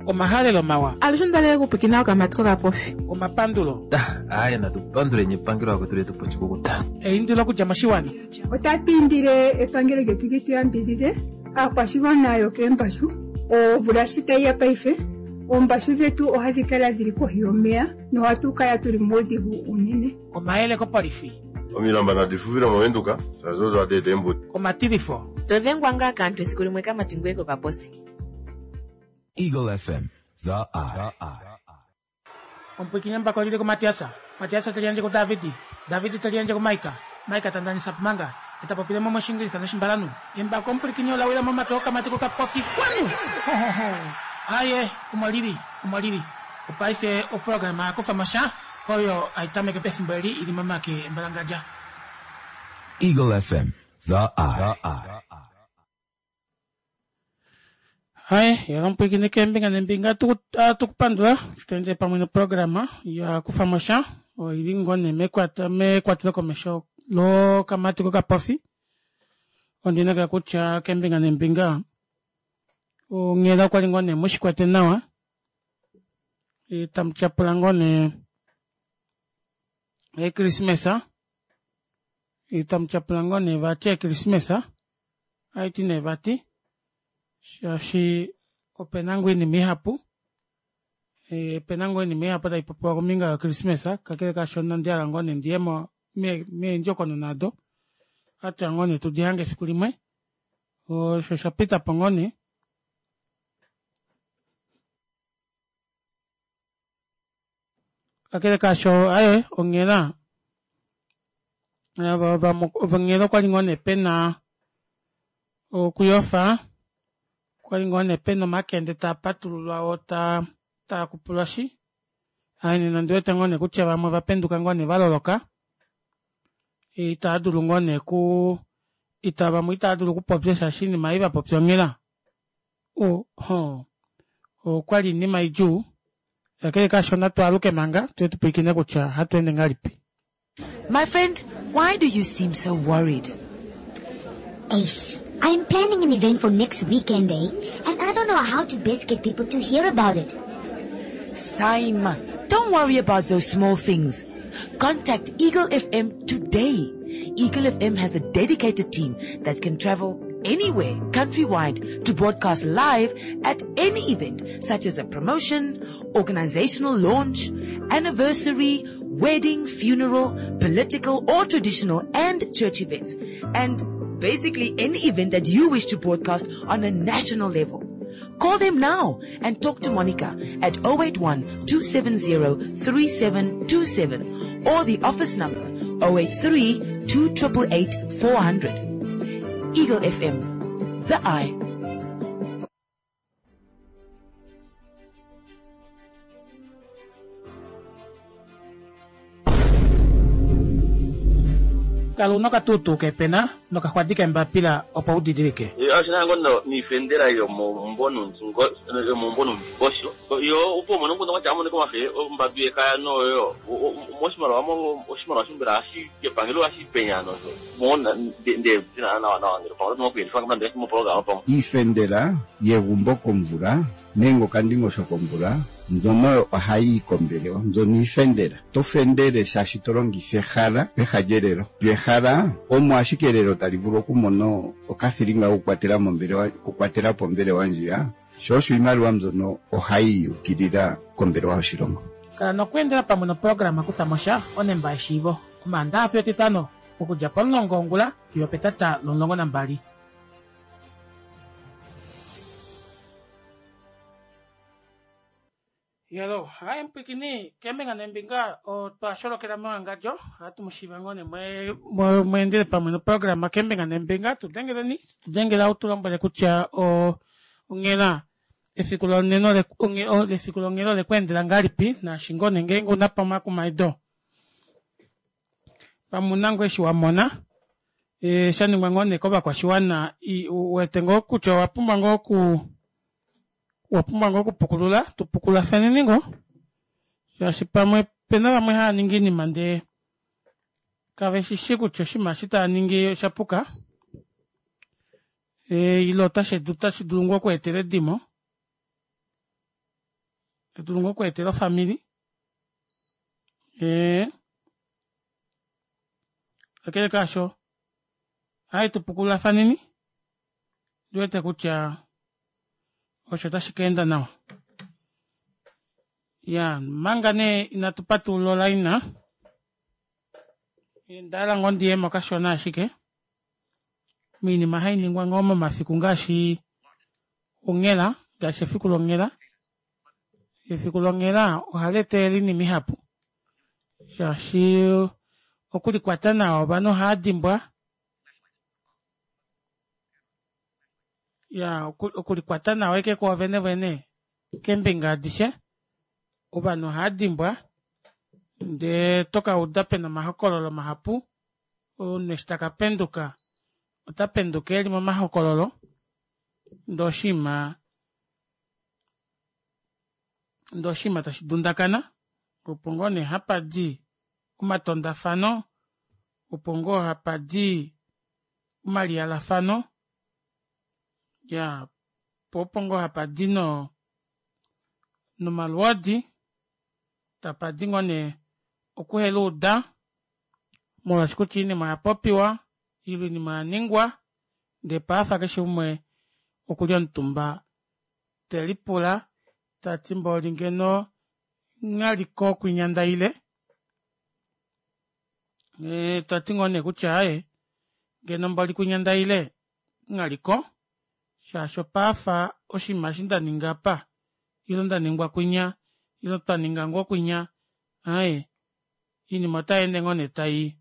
Omahalelo mawa. Alushe onda okupwikina okamati kokapofi. Omapandulo. Aaye natu panduleni epangelo akwetu letu pochikukuta. Eindilo okudja moshiwana. Otatu indile epangelo lyetu li tu yambidhidhe aakwashigwana yokeembashu. Omvula shi tayi ya paife, oombashu dhetu ohadhi kala dhili kohi yomeya nohatu kala tuli muudhigu uunene. Omayele kopolifi. Omilamba nadi fufile mOvenduka, shaashi odo hadi eta eembudi. Omatilifo. To dhengwa ngaa kaantu esiku limwe kamati ngweye kokaposi. Eagle FM, the eye. Omupwiikini embako olili kuMatiasa, Matiasa te liyandje kuDavidi, Davidi te liyandje kuMaika, Maika ta ndanisa Pumanga, e ta popile mo mOshingilisa nOshimbalanhu. Embako omupwilikini ola wila momake okamati kokapofi kwanu! Hohoho! Aye, omo lili, omo lili. Opaife oprograma ya kufa mo sha, oyo hai tameke pefimbo eli i li momake embalangadja. Eagle FM, the eye. Hai, yala omupwilikini keembinga neembinga atu kupandula eshi to endele pamwe noprograma ya kufa mo sha oi li ngoo nee mekwatelo komesho lokamati kokapofi. Ondi inekela kutya keembinga neembinga onghela okwa li ngoo nee mushi kwete nawa tamu tyapula ngoo nee Ekrismesa tamu tyapula ngoo nee vati Ekrismesa Haiti nee vati shaashi ope na ngoo oinima ihapu ope na ngoo oinima ihapu tai popiwa kombinga yoKrismesa kakele kaasho inandi hala ngoo nee ndiye mo meendjokonona odo ohatu ya ngoo nee tudi hange efiku limwe osho sha pita po ngoo nee. Kakele kaasho aye onghela onghela okwali ngoo nee pena okuyofa okwali ngoo nee pena omakende taa patululwa oo taa taa kupulwashi aye nena ondi wete ngoo nee kutya vamwe ova penduka ngoo nee va loloka itaa dulu ngoo nee ku ita vamwe itaa dulu okupopya shaashi oinima ei va popya onghela Oho, okwali iinima idjuu. Kakele kaasho natu aluke manga tuye tu pwilikine kutya ohatu ende ngahelipi. My friend, why do you seem so worried? Eish, I'm planning an event for next weekend, eh? And I don't know how to best get people to hear about it. Saima, don't worry about those small things. Contact Eagle FM today. Eagle FM has a dedicated team that can travel anywhere countrywide to broadcast live at any event such as a promotion, organizational launch, anniversary, wedding, funeral, political or traditional and church events. And basically any event that you wish to broadcast on a national level. Call them now and talk to Monica at 081 270 3727 or the office number 083 2888 400. Eagle FM, the eye. Kala una okatuutuu keepena nokaxwadi keembapila opo u didilike. Oshi na ngoo niifendela yomomumvo nuundingosho yo opo umone nguno kwatya amonike omafe ombambi yekaya noyo moshimaliwa oshimaliwa shombela hashi kepangelo hashi penya nosho mo nde nawa nawa ngele pamwe oto nokuyelifa mopologama pamwe. Iifendela yegumbo komvula nenge okandingosho komvula mbyono ohayi yi kombelewa, mbyono iifendela. Oto fendele shaashi to longitha ehala peha lyelelo. Lyo ehala omo ashike elelo tali vulu okumona okathilinga kokukwatela mombelewa, okukwatela po ombelewa ndjiya, sho osho iimaliwa mbyono ohayi yi ukilila kombelewa yoshilongo. Kala nokweendela pamwe noprograma Kutha mo sha, onemba yeshiivo, Omaandaha fiyo Etitano, okudja pomulongo wongula fiyo opetata lomulongo nambali. Yalo, hai mpwikini keembinga neembinga otwa sholokela mewangadjo ohatu mu shiiva ngoo nee mweendele pamwe noprograma keembinga neembinga tu dengeleni tu dengela u tu lombwele kutya onghela efiku lonena efiku longhela ole ku endela ngahelipi naashi ngoo nee ngeenge una pa omakumaido pamwe una ngoo eshi wa mona e, sha ningwa ngoo nee kovakwashiwana wete ngoo kutya owa pumbwa ngoo oku owa pumbwa ngoo okupukulula tu pukulafaneni ngoo shaashi pamwe pena vamwe hava ningi iinima ndee kave shi shi kutya oshinima eshi tava ningi osha puka e, ile otashi dulu ngoo okweetela edimo. Tadulu ngoo okweetela ofamili. Ee kakele kaasho hai tupukululafaneni ndi wete kutya osho tashi ka enda nawa. Ya manga nee inatu patulula olaina onda hala ngoo ndiyemo kashona ashike moinima hai ningwa ngoo momafiku ngaashi onghela ngaashi efiku longhela efiku longhela ohali etelele oinima ihapu shaashi okulikwata nawa ovanhu ohava dimbwa ya okulikwata nawa eke kwoovene vene keembinga adishe ovanhu ohava dimbwa ndee toka uda pena omahokololo mahapu omunhu eshi taka penduka ota penduka eli momahokololo ndee oshinima ndee oshinima tashi dundakana opo ngoo nee hapa di omatondafano opo ngoo hapa di omaliyalafano ya po opo ngoo hapa di no nomalwoodi tapa di ngoo nee okuheluuda molwaashi kutya oinima oya popiwa ile oinima oya ningwa ndee paafa keshe umwe okuli omutumba te lipula tati mboli ngeno nghaliko kwinya ndaile e, tati ngoo nee kutya aye ngeno mboli kwinya ndaile nghaliko shaashi opaafa oshinima eshi nda ninga apa ile nda ningwa kwinya ile twa ninga ngoo kwinya aye iinima otai ende ngoo nee tai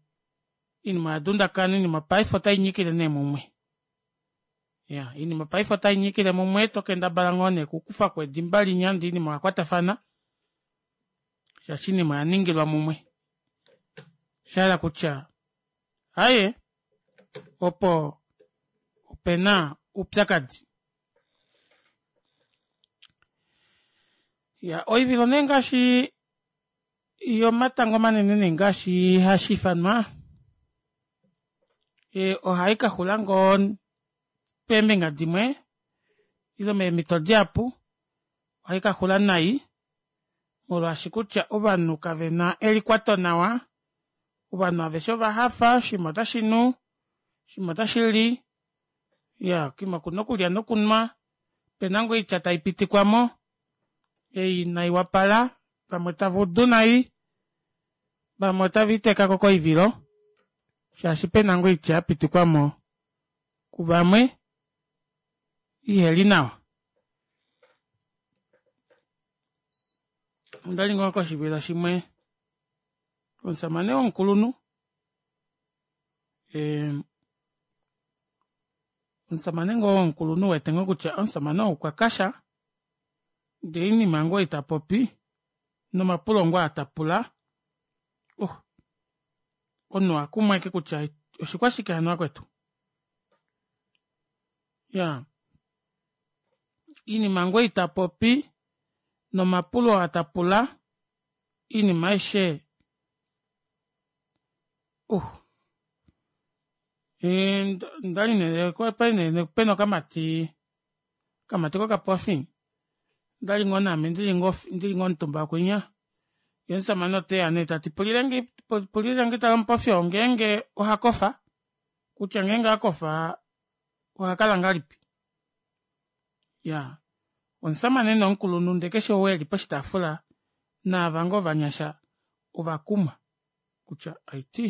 iinima oya dundakana iinima paife otai nyikile nee mumwe ya iinima paife otai nyikile mumwe to kendabala ngoo nee okukufa ko edimba linya ndee iinima oya kwatafana shaashi iinima oya ningilwa mumwe shahala kutya aye opo opena oupyakadi ya oivilo nee ngaashi yomatango manene nee ngaashi hashi ifanwa e, ohai ka xula ngoo peembinga dimwe ile meemhito dihapu ohai ka xula nai molwaashi kutya ovanhu kave na elikwato nawa ovanhu aveshe ova hafa shimwe otashi nu shimwe otashi li ya kimwe okuna okulya nokunwa pena ngoo oitya tai pitikwa mo ei inai wapala vamwe tava udu nai vamwe otave itekako koivilo shaashi pena ngoo oitya ya pitikwa mo kuvamwe iheli nawa. Ondali ngoo koshivilo shimwe omusamane womukulunhu omusamane ngoo womukulunhu wete ngoo kutya omusamane ou okwa kasha ndee oinima ngoo ei tapopi nomapulo ngoo aa tapula oh omunhu ohakumwa ashike kutya oshikwashike hano vakwetu ya iinima ngoo ei tapopi nomapulo aa tapula iinima aishe uh ndali nee pali nee pena okamati okamati kokapofi ndali ngoo naame ndili ngoo ndili ngoo omutumba kwinya ye omusamane oteya nee tati pulilenge pulilenge tala omupofi oo ngeenge oha kofa kutya ngeenge akofa oha kala ngahelipi ya omusamane nee omukulunhu ndee keshe ou eli poshitaafula naava ngoo ovanyasha ovakumwa kutya aiti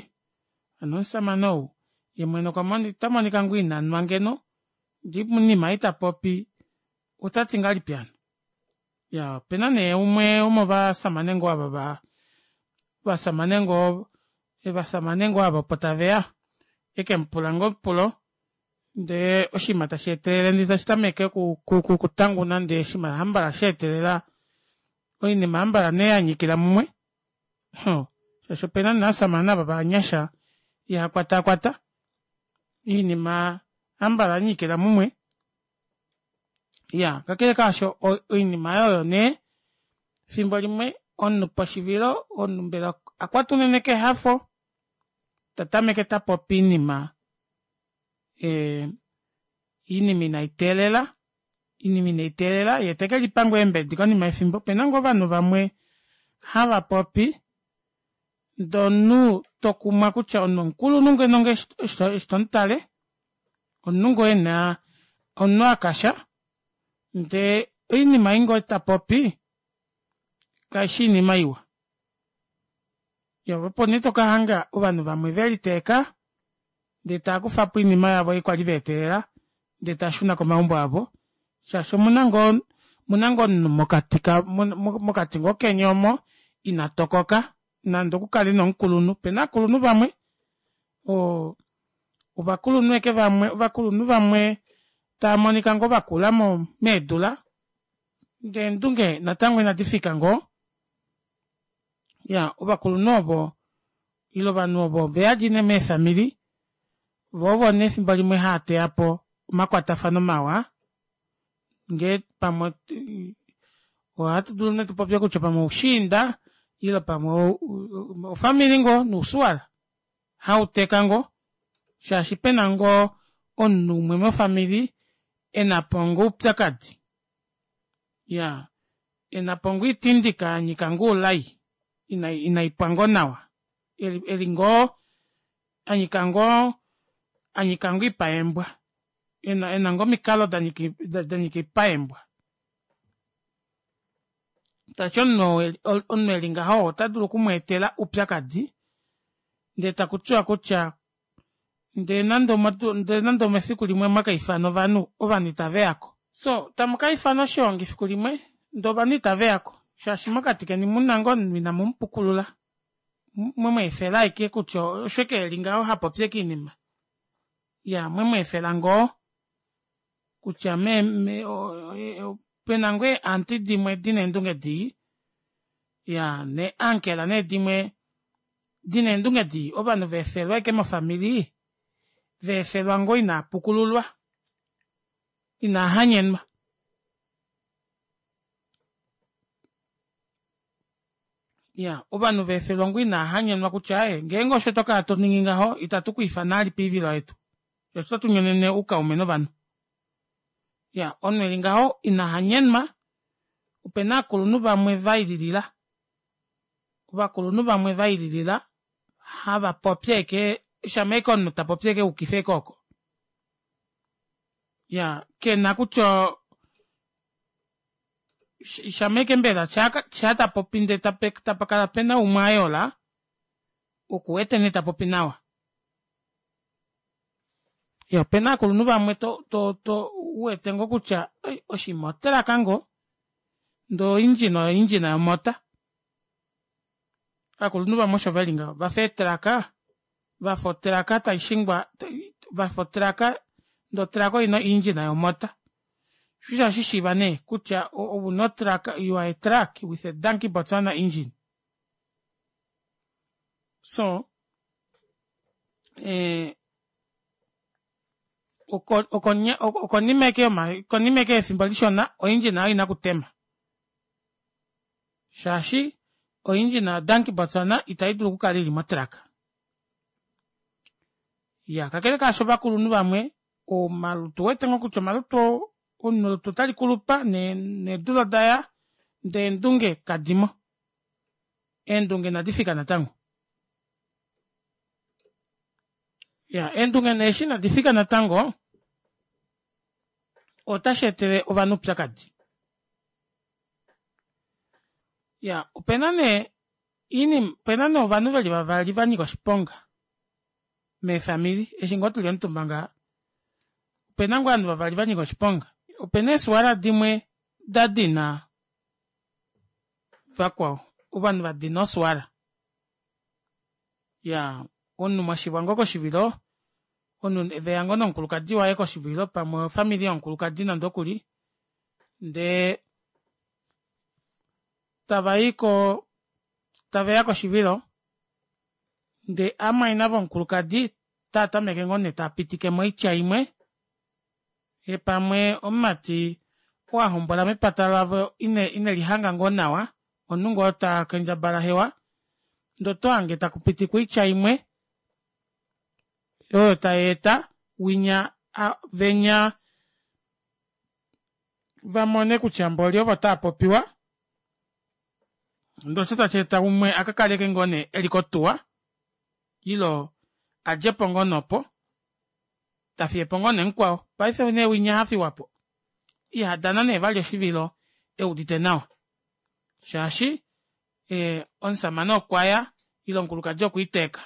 hano omusamane ou ye mwene okwa ota monika ngoo ina nwa ngeno ndee oinima ei ta popi ota ti ngahelipi hano ya opena nee umwe womovasamane ngoo ava va vasamane ngoo evasamane ngoo ava opo taveya eke mupula ngoo omupulo ndee oshinima tashi etelele ndee tashi tameke okutanguna ndee oshinima hambala sha etelela oinima hambala nee ya nyikila mumwe shaashi opena naasamane ava vanyasha ihakwatakwata iinima hambala ya nyikila mumwe ya kakele kaasho oinima oyo nee fimbo limwe omunhu poshivilo omunhu mbela akwatwa unene kehafo ta tameke ta popi iinima iinima inai teelela. Oinima inei teelela ye teke lipa ngoo eembedi konima yefimbo. Opena ngoo ovanhu vamwe hava popi ndee omunhu tokumwa kutya omunhu omukulunhu ngeno eshi tomutale omunhu ngoo ena omunhu akasha ndee oinima ei ngoo tapopi kaishi oinima iwa. Iyaa opo nee tokahanga ovanhu vamwe veliteeka ndee taakufapo oinima yavo ei kwali vaetelela ndee taashuna komaumbo avo shaashi omuna ngoo omuna ngoo omunhu mokati mokati ngoo keni omo ina tokoka nande okukale nee omukulunhu opena ovakulunhu vamwe oo ovakulunhu ashike vamwe ovakulunhu vamwe taamonika ngoo vakula meedula ndee eendunge natango inadi fika ngoo iyaa ovakulunhu ovo ile ovanhu ovo oveyadi nee meefamili voo ovo nee efimbo limwe haateyapo omakwatafano mawa ngee pamwe ohatu dulu nee tupopye kutya pamwe oushiinda ile pamwe ofamili ngoo nousuwala hauteka ngoo shaashi pena ngoo omunhu umwe mofamili enapo ngoo oupyakadi iyaa enapo ngoo oitindika yanyika ngoo oulai inaipwa ngoo nawa eli ngoo anyika ngoo anyika ngoo oipa yeembwa ena ngoo omikalo danyika oipa yeembwa tashiti omunhu omunhu eli ngaho ota dulu okumweetela oupyakadi ndee takutiwa kutya ndee nande ndee nande omefiku limwe mwakaifana ovanhu ovanhu itaveyako so tamukaifana oshoongi efiku limwe ndee ovanhu itaveyako shaashi mokati keni muna ngoo omunhu ina mumupukulula mwemweefela ashike kutya osho ashike eli ngaho hapopi ashike oinima Iyaa mwemweefela ngoo kutya me, me pena ngoo eeanti dimwe dina eendunge dii ya nee ankela nee dimwe dina eendunge dii ovanhu veefelwa ashike mofamili veefelwa ngoo inaa pukululwa inaa hanyenwa. Ya ovanhu veefelwa ngoo inaa hanyenwa kutya aaye ngeenge osho tokala toningi ngaho itatu ku ifana vali poivilo yetu shaashi oto tunyonene oukaume novanhu. Ya omunhu eli ngaho ina hanyenwa opena ovakulunhu vamwe vaililila ovakulunhu vamwe vaililila hava popi ashike shama ashike omunhu tapopi ashike ayukifa ashike oko. Ya kena kutya shama ashike mbela shaa tapopi ndee tapakala pena umwe ayola okuwete nee tapopi nawa. Ya opena aakulunhu vamwe to to to uwete ngoo kutya oshinima otraka ngoo ndee oindjina oyo oindjina yomota. Aakulunhu vamwe osho veli ngaho vafa eetraka vafa otraka taishingwa vafa otraka ndee otraka oina oindjina yomota. Sho osho hashishiiva nee kutya ouna otraka you are a truck with a donkey Botswana engine. So eh, okonima eke konima eke yefimbo lishona oindjina oyo ina kutema shaashi oindjina yodanki Botswana itai dulu okukala ili motraka. Ya kakele kaasho ovakulunhu vamwe omalutu wete ngoo kutya omalutu omunhu olutu otali kulupa needula odaya ndee eendunge kadimo. Eendunge inadi fika natango. Ya eendunge nee eshi inadi fika natango otashi etele ovanhu oupyakadi. Ya opena nee iinima opena nee ovanhu veli vavali vanyika oshiponga meefamili eshi ngoo tuli omutumba ngaha opena ngoo ovanhu vavali vanyika oshiponga. Opena eesuwala dimwe dadina vakwao ovanhu vadina osuwala. Ya omunhu mwashivwa ngoo koshivilo omunhu veya ngoo nomukulukadi waye koshivilo pamwe ofamili yomukulukadi nande okuli ndee tavayi ko taveya koshivilo ndee amwaina vomukulukadi taa tameke ngoo nee taapitike moitya imwe ye pamwe omumati oo ahombola mepata lavo ine inelihanga ngoo nawa omunhu ngoo ta kendjabala hewa ndee oto hange takupitikwa oitya imwe oyo tai eta winya venya. Vamone kutya mboli ovo tava popiwa ndee osho tashi eta umwe a ka kaleke ngoo nee eli kotuwa ilo a djepo ngoo nee opo ta fiyepo ngoo nee mukwao paife nee winya hafiwapo iha dana nee vali oshivilo eudite nawa shaashi ee omusamane okwaya ile omukulukadi okwiiteeka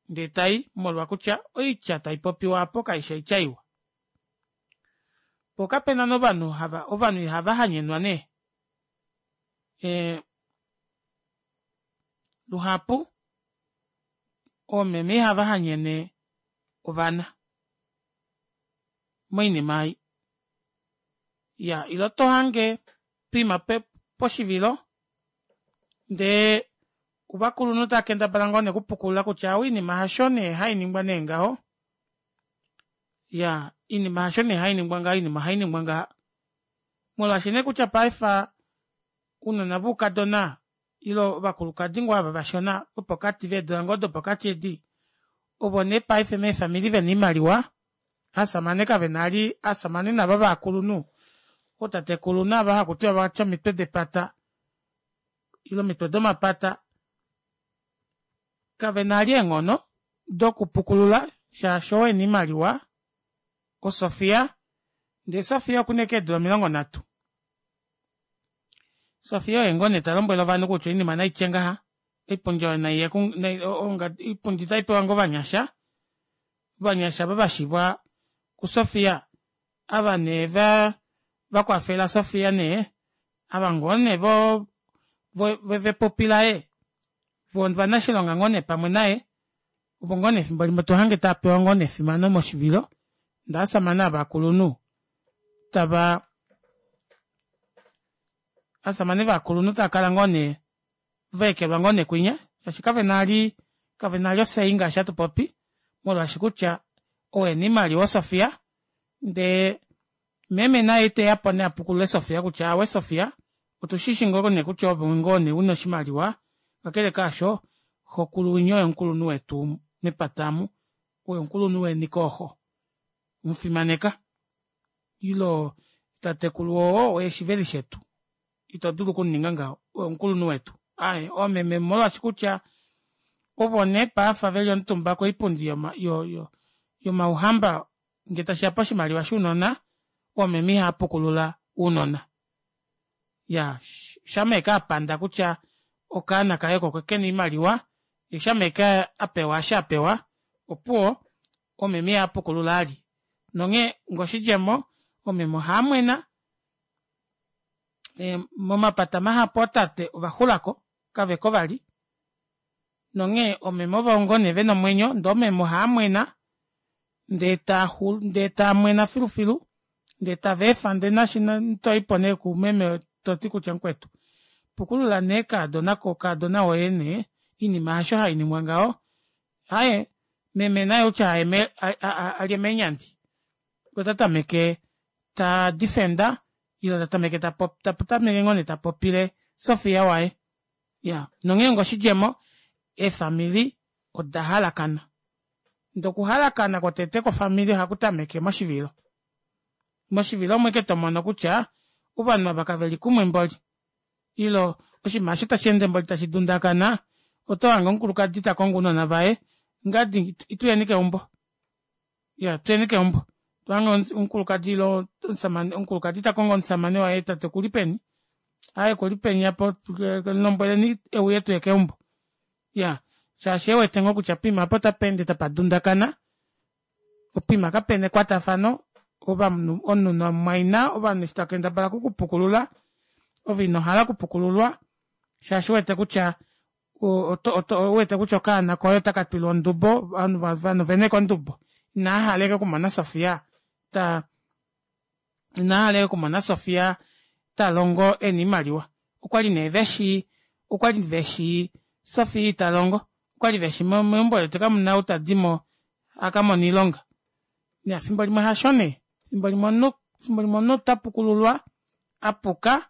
ndee tai molwa kutya oitya taipopiwa aapo kaishi oitya iwa. Po kapena nee ovanhu hava ovanhu ihava hanyenwa nee. Ee luhapu oomeme ihava hanyene ovana moinima ei. Ya ile oto hange poima poshivilo ndee ovakulunhu tava kendabala ngoo nee okupukulula kutya aawe oinima hasho nee hainingwa nee ngaho ya iinima hasho nee hainingwa ngaho oinima ohainingwa ngaha molwaashi nee kutya paife ounona voukadona ile ovakulukadi ngoo ava vashona vopokati veedula ngoo dopokati edi ovo nee paife meefamili vena oimaliwa aasamane kavena ali aasamane nava vakulunhu ootatekulu nava hakutiwa vatya omitwe depata ile omitwe domapata kavena ali eenghono dokupukulula shaashi oo ena oimaliwa oSofia ndee Sofia okuna ashike eedula 30 Sofia oye ngoo nee ta lombwele ovanhu kutya oinima naitye ngaha oipundi oyo naiye oipundi otaipewa ngoo ovanyasha ovanyasha ava vashivwa kuSofia ava nee va vakwafela Sofia nee ava ngoo nee vo vepupi laye voo ovanashilonga ngoo nee pamwe naye ovo ngoo nee efimbo limwe tohange tava pewa ngoo nee efimano moshivilo ndee ovasamane ava vakulunhu tava ovasamane vakulunhu tava kala ngoo nee vaekelwa ngoo nee kwinya shaashi kavena ali kavena ali osei ngaashi hatu popi molwaashi kutya ou ena oimaliwa oSofia ndee meme naye iteya po nee apukulule Sofia kutya aawe Sofia otushishi ngoo nee kutya ove ngoo nee una oshimaliwa kakele kaasho xokulu winya oye omukulunhu wetu mepata amu oye omukulunhu weni kooxo mufimaneka ilo tatekulu oo oye shiveli shetu ito dulu okuninga ngaho oye omukulunhu wetu aaye oomeme molwaashi kutya ovo nee paafa veli omutumba koipundi yomauhamba Nge tashiya poshimaliwa shounona, oomeme ihava pukulula ounona. Ya, shama eke a panda kutya okaana kaye oko kena oimaliwa, ye shama eke a pewa eshi a pewa, opuwo, oomeme ihava pukulula ali. Nonghee ngoshidjemo, oomeme ohava mwena, momapata mahapu ootate ova xulako, kaveko vali, Nonghee oomeme ovo ngoo nee vena omwenyo ndee oomeme ohaa mwena ndee taaxulu ndee taamwena filufilu ndee tava efa ndee nashi toipo nee kumeme toti kutya mukwetu pukulula nee kaadona ko kaadona woye nee oinima hasho hainingwa ngaho aaye meme naye outya alye meenyandi ota tameke ta defender ile ta tameke ta tameke ngoo nee tapopile Sofia waye Ya, nonghee ngoshidjemo, eefamili oda halakana. Ndee okuhalakana kwotete kwofamili ohaku tameke moshivilo. Moshivilo omo ashike to mono kutya ovanhu ava kave li kumwe mboli. Ile oshinima osho tashi ende mboli tashi dundakana, oto hange omukulukadi ta kongo ounona vaye, ngadi ituyeni keumbo. Ya, tuyeni keumbo. To hange omukulukadi ile omusamane, omukulukadi ta kongo omusamane waye tate okuli peni? Aaye okuli peni apo, lombweleni euye tuye keumbo. Ya, shaashi e wete ngoo kutya poima apa otapa ende tapa dundakana, poima kapena ekwatafano, ovanhu, omunhu namumwaina, ovanhu eshi tava kendabala okukupukulula, ove ino hala okupukululwa shaashi u wete kutya ou wete kutya okaana koye otaka twilwa ondubo, ovanhu ovena ashike ondubo, inava hala ashike okumona Sofia ta inava hala ashike okumona Sofia ta longo ena oimaliwa. Okwali nee veshi okwali veshi Sofia ita longo, okwali veshi meumbo letu kamuna ou tadimo aka mone oilonga. Ya fimbo limwe hasho nee, fimbo limwe omunhu fimbo limwe omunhu ota pukululwa apuka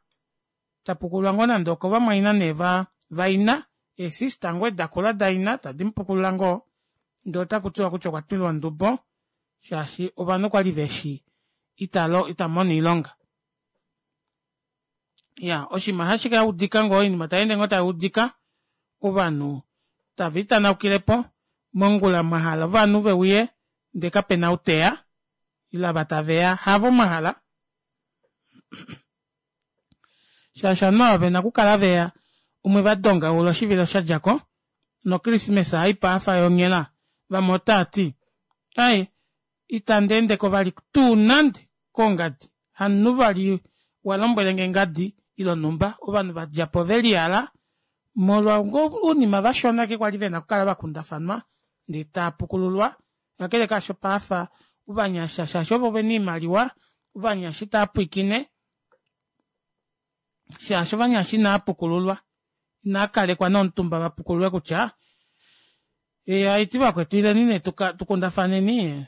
ta pukululwa ngoo nande okovamwaina nee va vaina eesista ngoo dakula daina tadi mupukulula ngoo ndee otaku tiwa kutya okwa twilwa ondubo shaashi ovanhu okwali veshi ita ita mono oilonga. Ya oshinima ohashi ka udika ngoo oinima tayeende ngoo taiudika ovanhu tava itanaukilepo mongula mwahala ovanhu veuye ndee kapena ou teya ile ava taveya havo mwahala shaashi ovanhu ava vena okukala veya omwe vadongaula oshivilo shadjako no christmas haipaafa yonghela vamwe otaati ai itandi endeko vali tuu nande kongadi hamunhu vali wa lombwelenge ngadi ile onhumba ovanhu vadjapo veliyala molwa ngoo ounima vashona ashike kwali vena okukala vakundafanwa ndee taapukululwa kakele kaasho paafa ovanyasha shaashi ovo vena oimaliwa ovanyasha itaapwiikine shaashi ovanyasha inaapukululwa inaakalekwa nomutumba vapukululwe kutya ee haiti vakwetu ileni nee tukundafaneni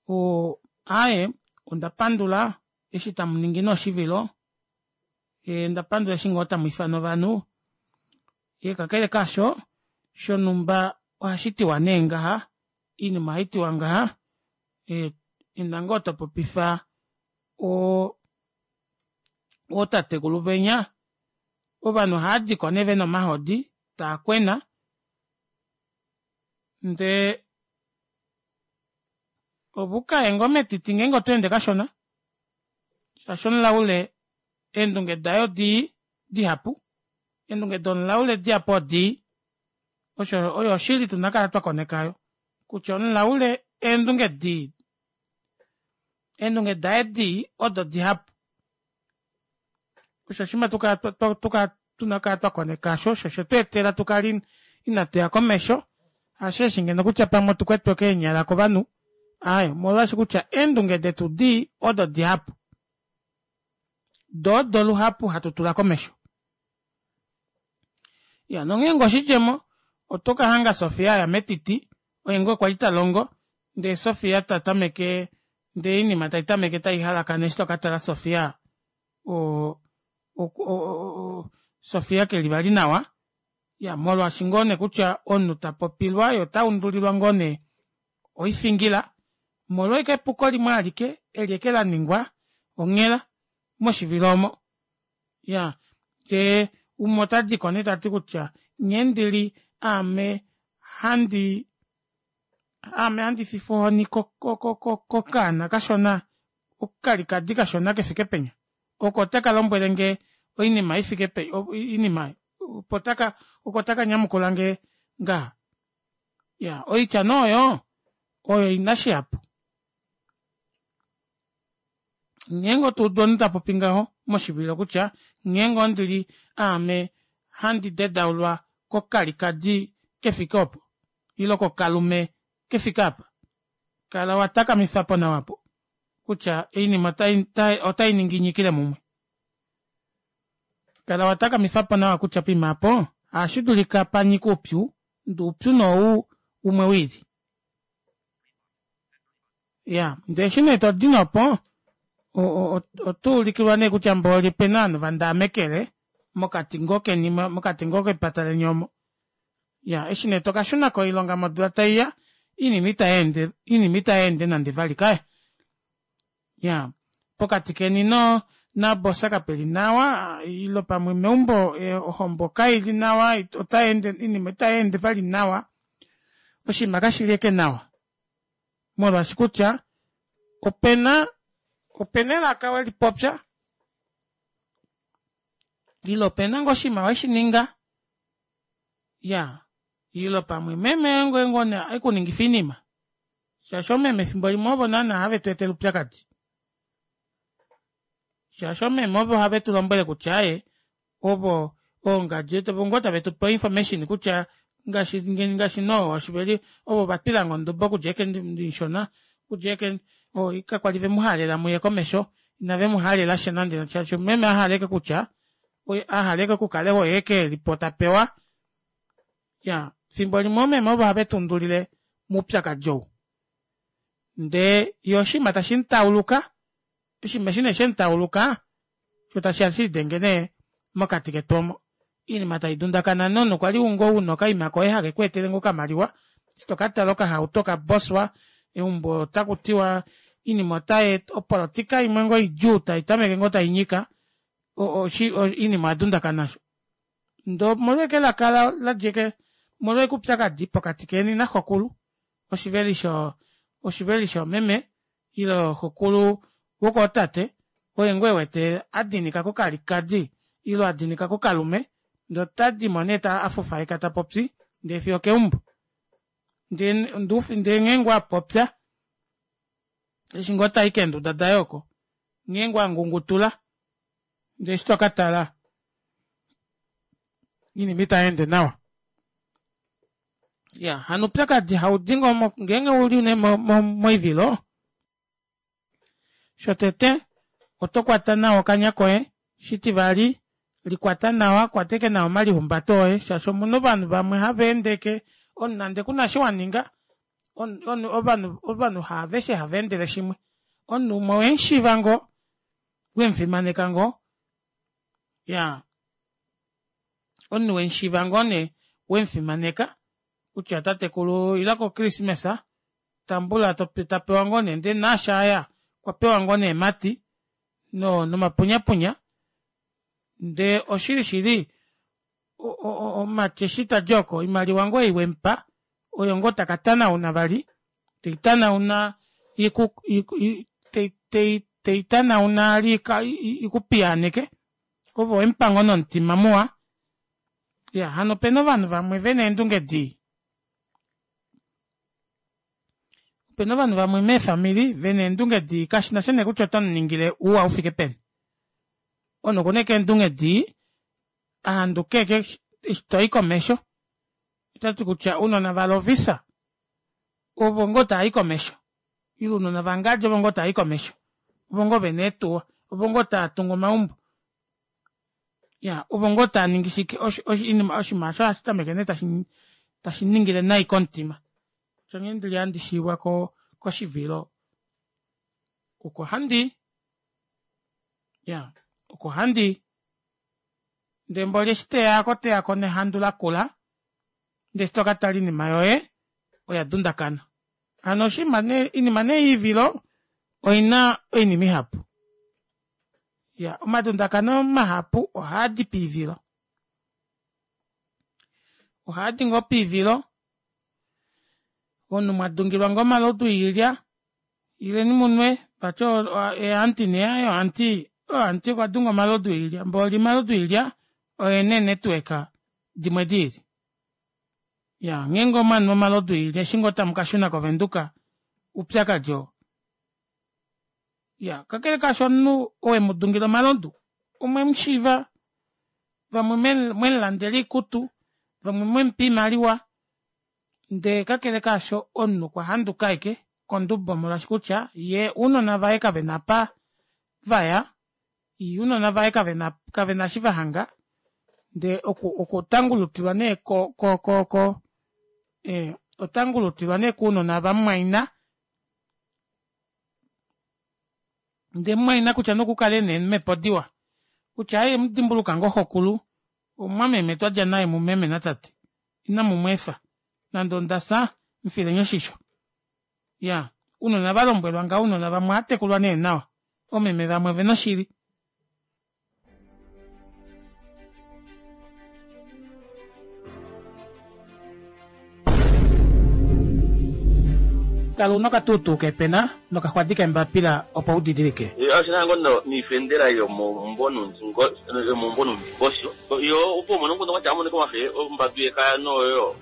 oo aaye onda pandula eshi tamuningi nee oshivilo ee onda pandula eshi ngoo tamu ifana ovanhu ee kakele kaasho shonumba ohashi tiwa nee ngaha oinima ohaitiwa ngaha ee enda ngoo topopifa oo ootatekulu venya ovanhu ohaadiko nee vena omahodi taakwena ndee ove ukaye ngoo metiti ngeenge otweende kashona shaashi omulaule eendunge daye odii dihapu eendunge domulaule dihapu odii osho oyo oshili tuna kala twakoneka ayo kutya omulaule eendunge dii eendunge daye dii odo dihapu osho oshinima tuna kala twakoneka asho osho shetweetela tukale inatuya komesho hasheeshi ngeno kutya pamwe otukwetwe keenyala kovanhu aaye omolwaashi kutya eendunge detu dii odo dihapu doo odo luhapu hatu tula komesho ya nongeenge oshidjemo oto kahanga Sofia aya metiti oye ngoo kwali talongo ndee Sofia tatameke ndee oinima taitameke taihalakana eshi tokatala Sofia o Sofia keli vali nawa ya molwaashi ngoo nee kutya omunhu tapopilwa ye ota undulilwa ngoo nee oifingila molwa ashike epuko limwe alike eli eke laningwa onghela moshivilo omo ya ndee umwe otadiko nee tati kutya nghee ndili aame handi aame handi fifwa ohoni kokaana kashona okalikadi kashona kefike penya oko taka lombwelenge oinima ifike pe oinima opo taka oko taka nyamukulange ngaha ya oitya nee oyo oyo ina shihapu ngeenge otuudu omunhu tapopi ngaho moshivilo kutya ngeenge ondili aame handi dedaulwa kokalikadi kefike opo ile kokalume kefike apa kala watakamifapo nawa apo kutya oinima otai ningi inyikile mumwe kala watakamifapo nawa kutya poima apo ohashi dulika panyika oupyu ndee oupyu nee ou umwe wiili ya ndee eshi nee todi nopo otuulikilwa nee kutya mboli opena ovanhu vandaamekele mokati ngoo keni mokati ngoo kepata leni omo ya eshi nee tokashuna koilonga modula taiya oinima itayeende oinima itayeende nande vali kaya ya pokati keni no nabosa kapeli nawa ile pamwe meumbo ohombo kaili nawa otayeende oinima itayeende vali nawa oshinima kashili eke nawa molwaashi kutya opena opena elaka welipopya ile opena ngoo oshinima weshininga ya ile pamwe meme ngoye ngoo nee ekuningifa oinima shaashi oomeme efimbo limwe ovo naana have tu etele oupyakadi shaashi oomeme ovo have tu lombwele kutya aaye ovo oongadi ovo ngoo tave tupe information kutya ngaashi ngaashi no oshiveli ovo vatwilange ondubo okudja eke ndishona okudja eke kakwali vemuhalela muye komesho inave muhalela sha nande shaashi meme ahala eke kutya ahala eke okukala oye eke elipo tapewa ya fimbo limwe oomeme ovo have tundulile moupyakadi ou ndee ye oshinima tashi mutauluka oshinima eshi nee shemutauluka sho tashiya shilidenge nee mokati ketu omo oinima taidundakana nonhu kwali ngoo una okaima koye hake kweetele ngoo okamaliwa eshi tokatala okahauto kaboswa eumbo otakutiwa oinima otai opolotika imwe ngoo idjuu taitameke ngoo tainyika. Oinima oya dundakana osho. Ndee omolwa ashike elaka la dja ashike omolwa ashike oupyakadi pokati keni naxokulu oshiveli sho oshiveli shoomeme ile xokulu wokootate oye ngoo ewete adinika kokalikadi ile adinika kokalume ndee otadimo nee afufaika tapopi ndee fiyo okeumbo ndee ndee nghee ngoo apopya eshi ngoo tai keenduda daye oko nghee ngoo angungutula ndee eshi tokatala oinima itayeende nawa. Iyaa hano oupyakadi haudi ngoo ngeenge uli nee moivilo shotete oto kwata nawa okanya koye shitivali likwata nawa kwata ashike nawa omalihumbato oye shaashi omuna ovanhu vamwe hava ende ashike omunhu nande kuna eshi waninga ovanhu ovanhu haaveshe hava endele shimwe omunhu umwe owemushiiva ngoo wemufimaneka ngoo iyaa omunhu wemushiiva ngoo nee wemufimaneka kutya tatekulu ila ko christmas tambula tapewa ngoo nee ndee naashi aya okwa pewa ngoo nee eemati nomapunyapunya ndee oshili shili omumati eshi tadi oko oimaliwa ngoo ei wemupa oyo ngoo taka tanauna vali teitanauna teitanauna ikupiyaaneke ove owemupa ngoo nomutima muwa iyaa hano opena ovanhu vamwe vena eendunge dii opena ovanhu vamwe meefamili vena eendunge dii kashinasha nee kutya otomuningile ouwa ufike peni omunhu okuna ashike eendunge dii ahanduke ashike eshi toyi komesho otati kutya ounona vaLovisa ovo ngoo taayi komesho ile ounona vangadi ovo ngoo taayi komesho ovo ngoo vena eetuwa ovo ngoo taatungu omaumbo ya ovo ngoo taaningi shike oshinima osho ohashi tameke nee tashi ningile nai komutima osho nghee ndili handi shiivwa koshivilo oko handii ya oko handii ndee mboli eshi teyako teyako nehandu lakula ndee eshi tokatala oinima yoye oya dundakana hano oshinima nee oinima nee yoivilo oina oinima ihapu ya omadundakano mahapu ohaadi poivilo ohaadi ngoo poivilo omunhu mwadungilwa ngoo omalodu oilya ileni munwe vati eeanti nee aaye oanti oanti okwa dunga omalodu oilya mboli omalodu oilya oena eenetwork dimwe diili ya ngeenge omwanu omalodu oilya eshi ngoo tamu kashuna kovenduka oupyakadi oo ya kakele kaasho omunhu owe mudungila omalodu omwemushiiva vamwe mwemulandela oikutu vamwe mwemupa oimaliwa ndee kakele kaasho omunhu okwa handuka ashike kondubo molwaashi kutya yee ounona vaye kavena apa vaya yee ounona vaye kavena kavena eshi vahanga ndee oku okutangulutilwa nee ko ko ko ko eh otangulutilwa nee kounona vamumwaina ndee mumwaina kutya nokukale nee eemhepo diwa kutya aaye mudimbuluka ngoo xokulu omumwameme twadja naye mumeme natate inamu mweefa nande onda fya mufileni oshisho ya ounona valombwelwa ngaho ounona vamwe ohaatekulwa nee nawa oomeme vamwe ovena oshili. Kala una okatuutuu keepena nokaxwadi keembapila opo u didilike. Oshi na ngoo niifendela yomomumvo nuundingosho yo opo umone omukundu kwatya amonike omafe ombadu yekaya noyo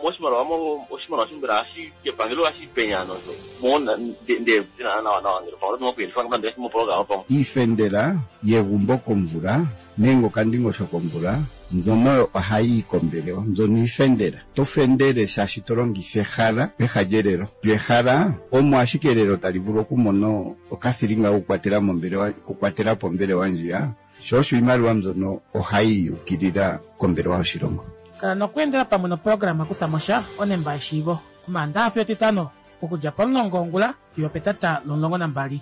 moshimaliwa oshimaliwa mbela ohashi kepangelo ohashi penya nosho mo nde nawa nawa ngele pamwe oto okuyelifa nande moprograma pamwe. Iifendela yegumbo komvula nenge okandingosho komvula mbyono oyo ohayi yi kombelewa. Mbyono iifendela. Oto fendele shaashi to longitha ehala peha lyelelo. Lyo ehala omo ashike elelo tali vulu okumona okathilinga kokukwatela mombelewa, okukwatela po ombelewa ndjiya. Sho osho iimaliwa mbyono ohayi yi ukilila kombelewa yoshilongo. Kala nokweendela pamwe noprograma Kutha mo sha, onemba yeshiivo, Omaandaxa fiyo Etitano, okudja pomulongo wongula fiyo opetata lomulongo nambali.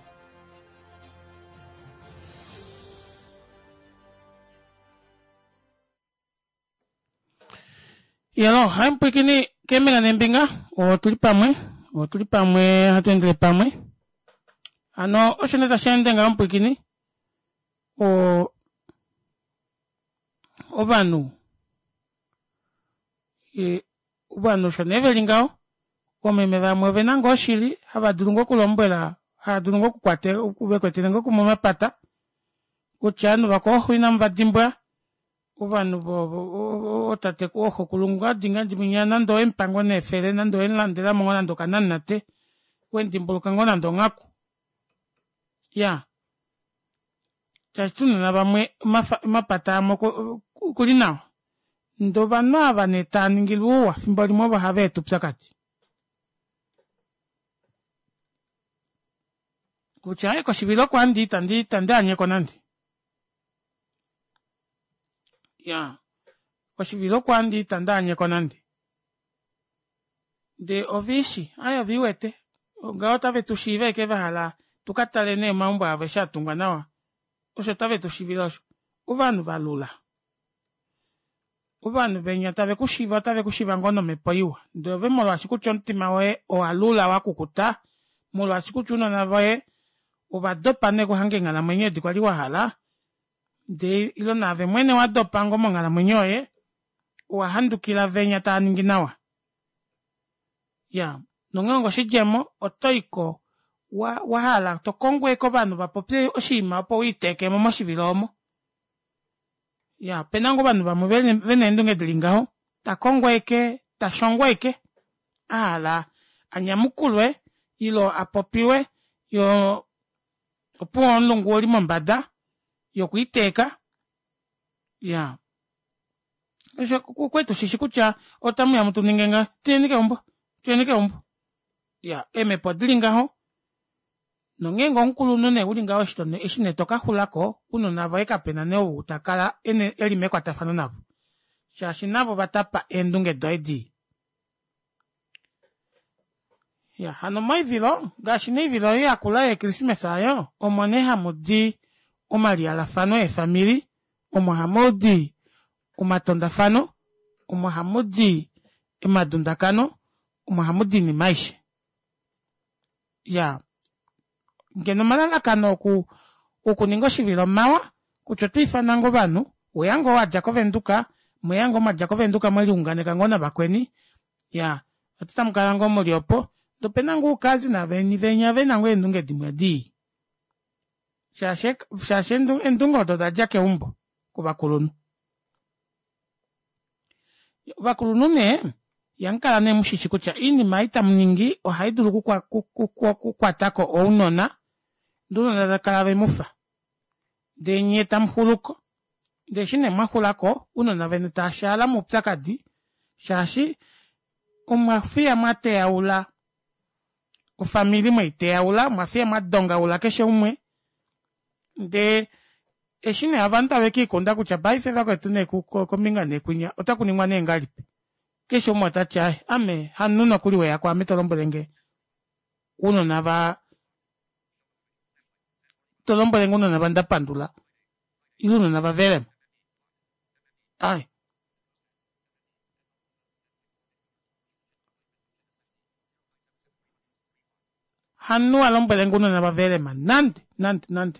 Yelo, hai mupwiikini keembinga neembinga, otuli pamwe, otuli pamwe hatu endele pamwe. Hano osho nee tashi ende ngaho mupwiikini. O. Ovanhu ovanhu osho nee veli ngaho oomeme vamwe ovena ngoo oshili hava dulu ngoo okulombwela hava dulu ngoo okukwate vekwetele ngoo kumwe omapata kutya ovanhu vakooxo inamu va dimbwa ovanhu ootate ooxokulu ngadi ngadi mwinya nande owemupa ngoo nee efele nande owemulandelamo ngoo nande okananate wemudimbuluka ngoo nande onghaku ya shaashi ounona vamwe omapata amwe okuli nawa ndee ovanhu ava nee tava ningilwa ouwa fimbo limwe ovo hava eta oupyakadi kutya aye koshivilo oko handi itandi itandi anyeko nande ya koshivilo oko handi itandi anyeko nande ndee oviishi aye oviiwete ngaho otave tu shiiva ashike vahala tu ka tale nee omaumbo avo eshi a tungwa nawa osho tave tu shivile osho ovanhu va lula ovanhu venya tave ku shiva otave ku shiva ngoo nomhepo iwa ndee ove molwaashi kutya omutima woye owa lula wa kukuta molwaashi kutya ounona voye ova dopa nee okuhanga eenghalamwenyo edi kwali wa hala ndee ilo naave mwene wa dopa ngoo monghalamwenyo yoye owa handukila venya tava ningi nawa ya nonghee ongo oshidjemo oto iko wa, wa hala to kongo eke ovanhu va popye oshinima opo wiiteekemo moshivilo omo ya opena ngoo ovanhu vamwe vena eendunge dili ngaho ta kongo eke ta shongo eke a hala a nyamukulwe ilo a popiwe yo opuwo omulungu oli mombada yokwiiteeka ya osho kwetu shishi kutya otamu ya mutu ninge nga tuyeni keumbo tuyeni keumbo ya eemhepo odili ngaho nongeenge omukulunhu nee uli ngaho eshi nee toka xulako ounona voye kapena nee ou ta kala eli mekwatafano navo shaashi navo va tapa eendunge doye dii ya hano moivilo ngaashi neivilo oyo yakula yekrismesa oyo omo nee hamu di omaliyalafano eefamili omo hamu di omatondafano omo hamu di omadundakano omo hamu di oinima aishe ya ngeno omalalakano oku okuninga oshivilo omawa kutya oto ifana ngoo ovanhu weya ngoo wadja kovenduka mweya ngoo mwadja kovenduka mweliunganeka ngoo navakweni ya oti tamu kala ngoo muli opo ndee opena ngoo uukazi naveni venya vena ngoo eendunge dimwe dii shaashi shaashi eendunge odo oda dja keumbo kovakulunhu Ovakulunhu nee, ihamu kala nee mushishi kutya oinima ei tamu ningi ohai dulu okukwata ko ounona, ndee ounona tava kala ve mu fa. Ndee nye tamu xulu ko. Ndee eshi nee mwa xula ko, ounona veni tava shaala moupyakadi shaashi omwa fiya mwa teyaula ofamili mwei teyaula, omwa fiya mwa dongaula keshe umwe ndee eshi nee ovanhu tave kiikunda kutya paife vakwetu nee kombinga nee kwinya otaku ningwa nee ngahelipi keshe umwe ota ti ae ame hamunhu nokuli weya kwaame to lombwele nge ounona va to lombwele nge ounona va ndapandula ile ounona va velema ae Hamunhu a lombwele nge ounona va Velema nande nande nande.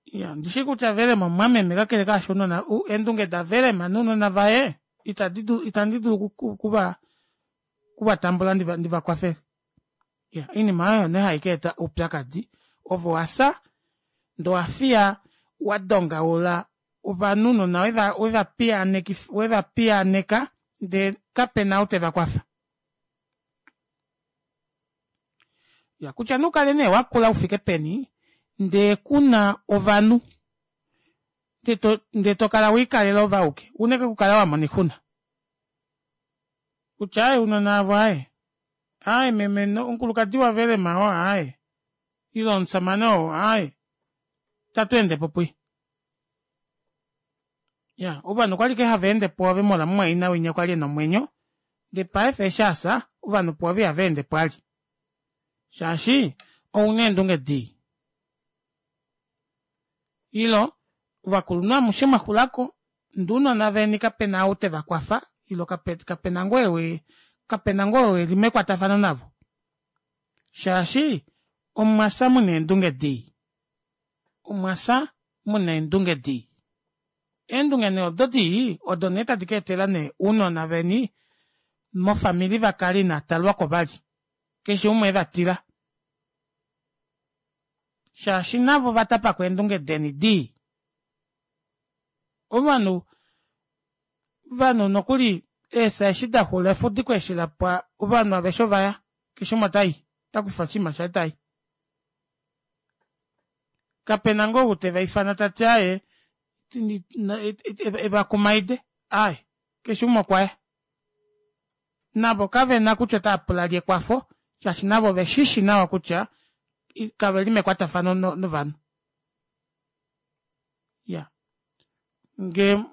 Ya, ndi shii kutya Velema omumwameme kakele kaasho ounona eendunge da Velema nounona vaye itadi dulu itandi dulu okuva okuva tambula ndiva ndiva kwafele. Ya, oinima oyo nee hai ka eta oupyakadi ove owa fya ndee owa fiya wa dongaula ovanhu ounona weva weva piyaaneki weva piyaaneka ndee kapena ou teva kwafa. Ya kutya nee ukale nee wakula ufike peni ndee kuna ovanhu ndee to kala wiikalela ove auke una ike okukala wa mona oixuna kutya aaye ounona avo aaye aaye meme omukulukadi wavelema oo aaye ile omusamane oo aaye itatu endepo puye. Ya, ovanhu okwali ke hava ende pwoove molwa mumwaina winya kwali ena omwenyo, ndee paife eshi asa, ovanhu pwoove ihava ende po ali. Shaashi, ouna eendunge dii. Ilo, ovakulunhu amushe mwa xulako, ndee ounona veni kapena ou teva kwafa, ilo kape, kapena ngoo ewi, kapena ngoo ou eli mekwatafano navo. Shaashi, omwa fya muna eendunge dii. Omwa fya muna eendunge dii. Eendunge nee odo dii odo nee tadi ka etela nee ounona veni mofamili va kale inaa talwako vali. Keshe umwe eva tila. Shaashi navo va tapako eendunge deni dii. Ovanhu ovanhu nokuli eesa eshi da xula efudiko eshi la pwa ovanhu aveshe ovaya keshe umwe otai ota kufa oshinima shaye tai. Kapena ngoo ou teva ifana tati aaye eva kumaide aaye keshe umwe okwaya. Navo kavena kutya otava pula lye ekwafo shaashi navo ove shishi nawa kutya kaveli mekwatafano novanhu. Ya nge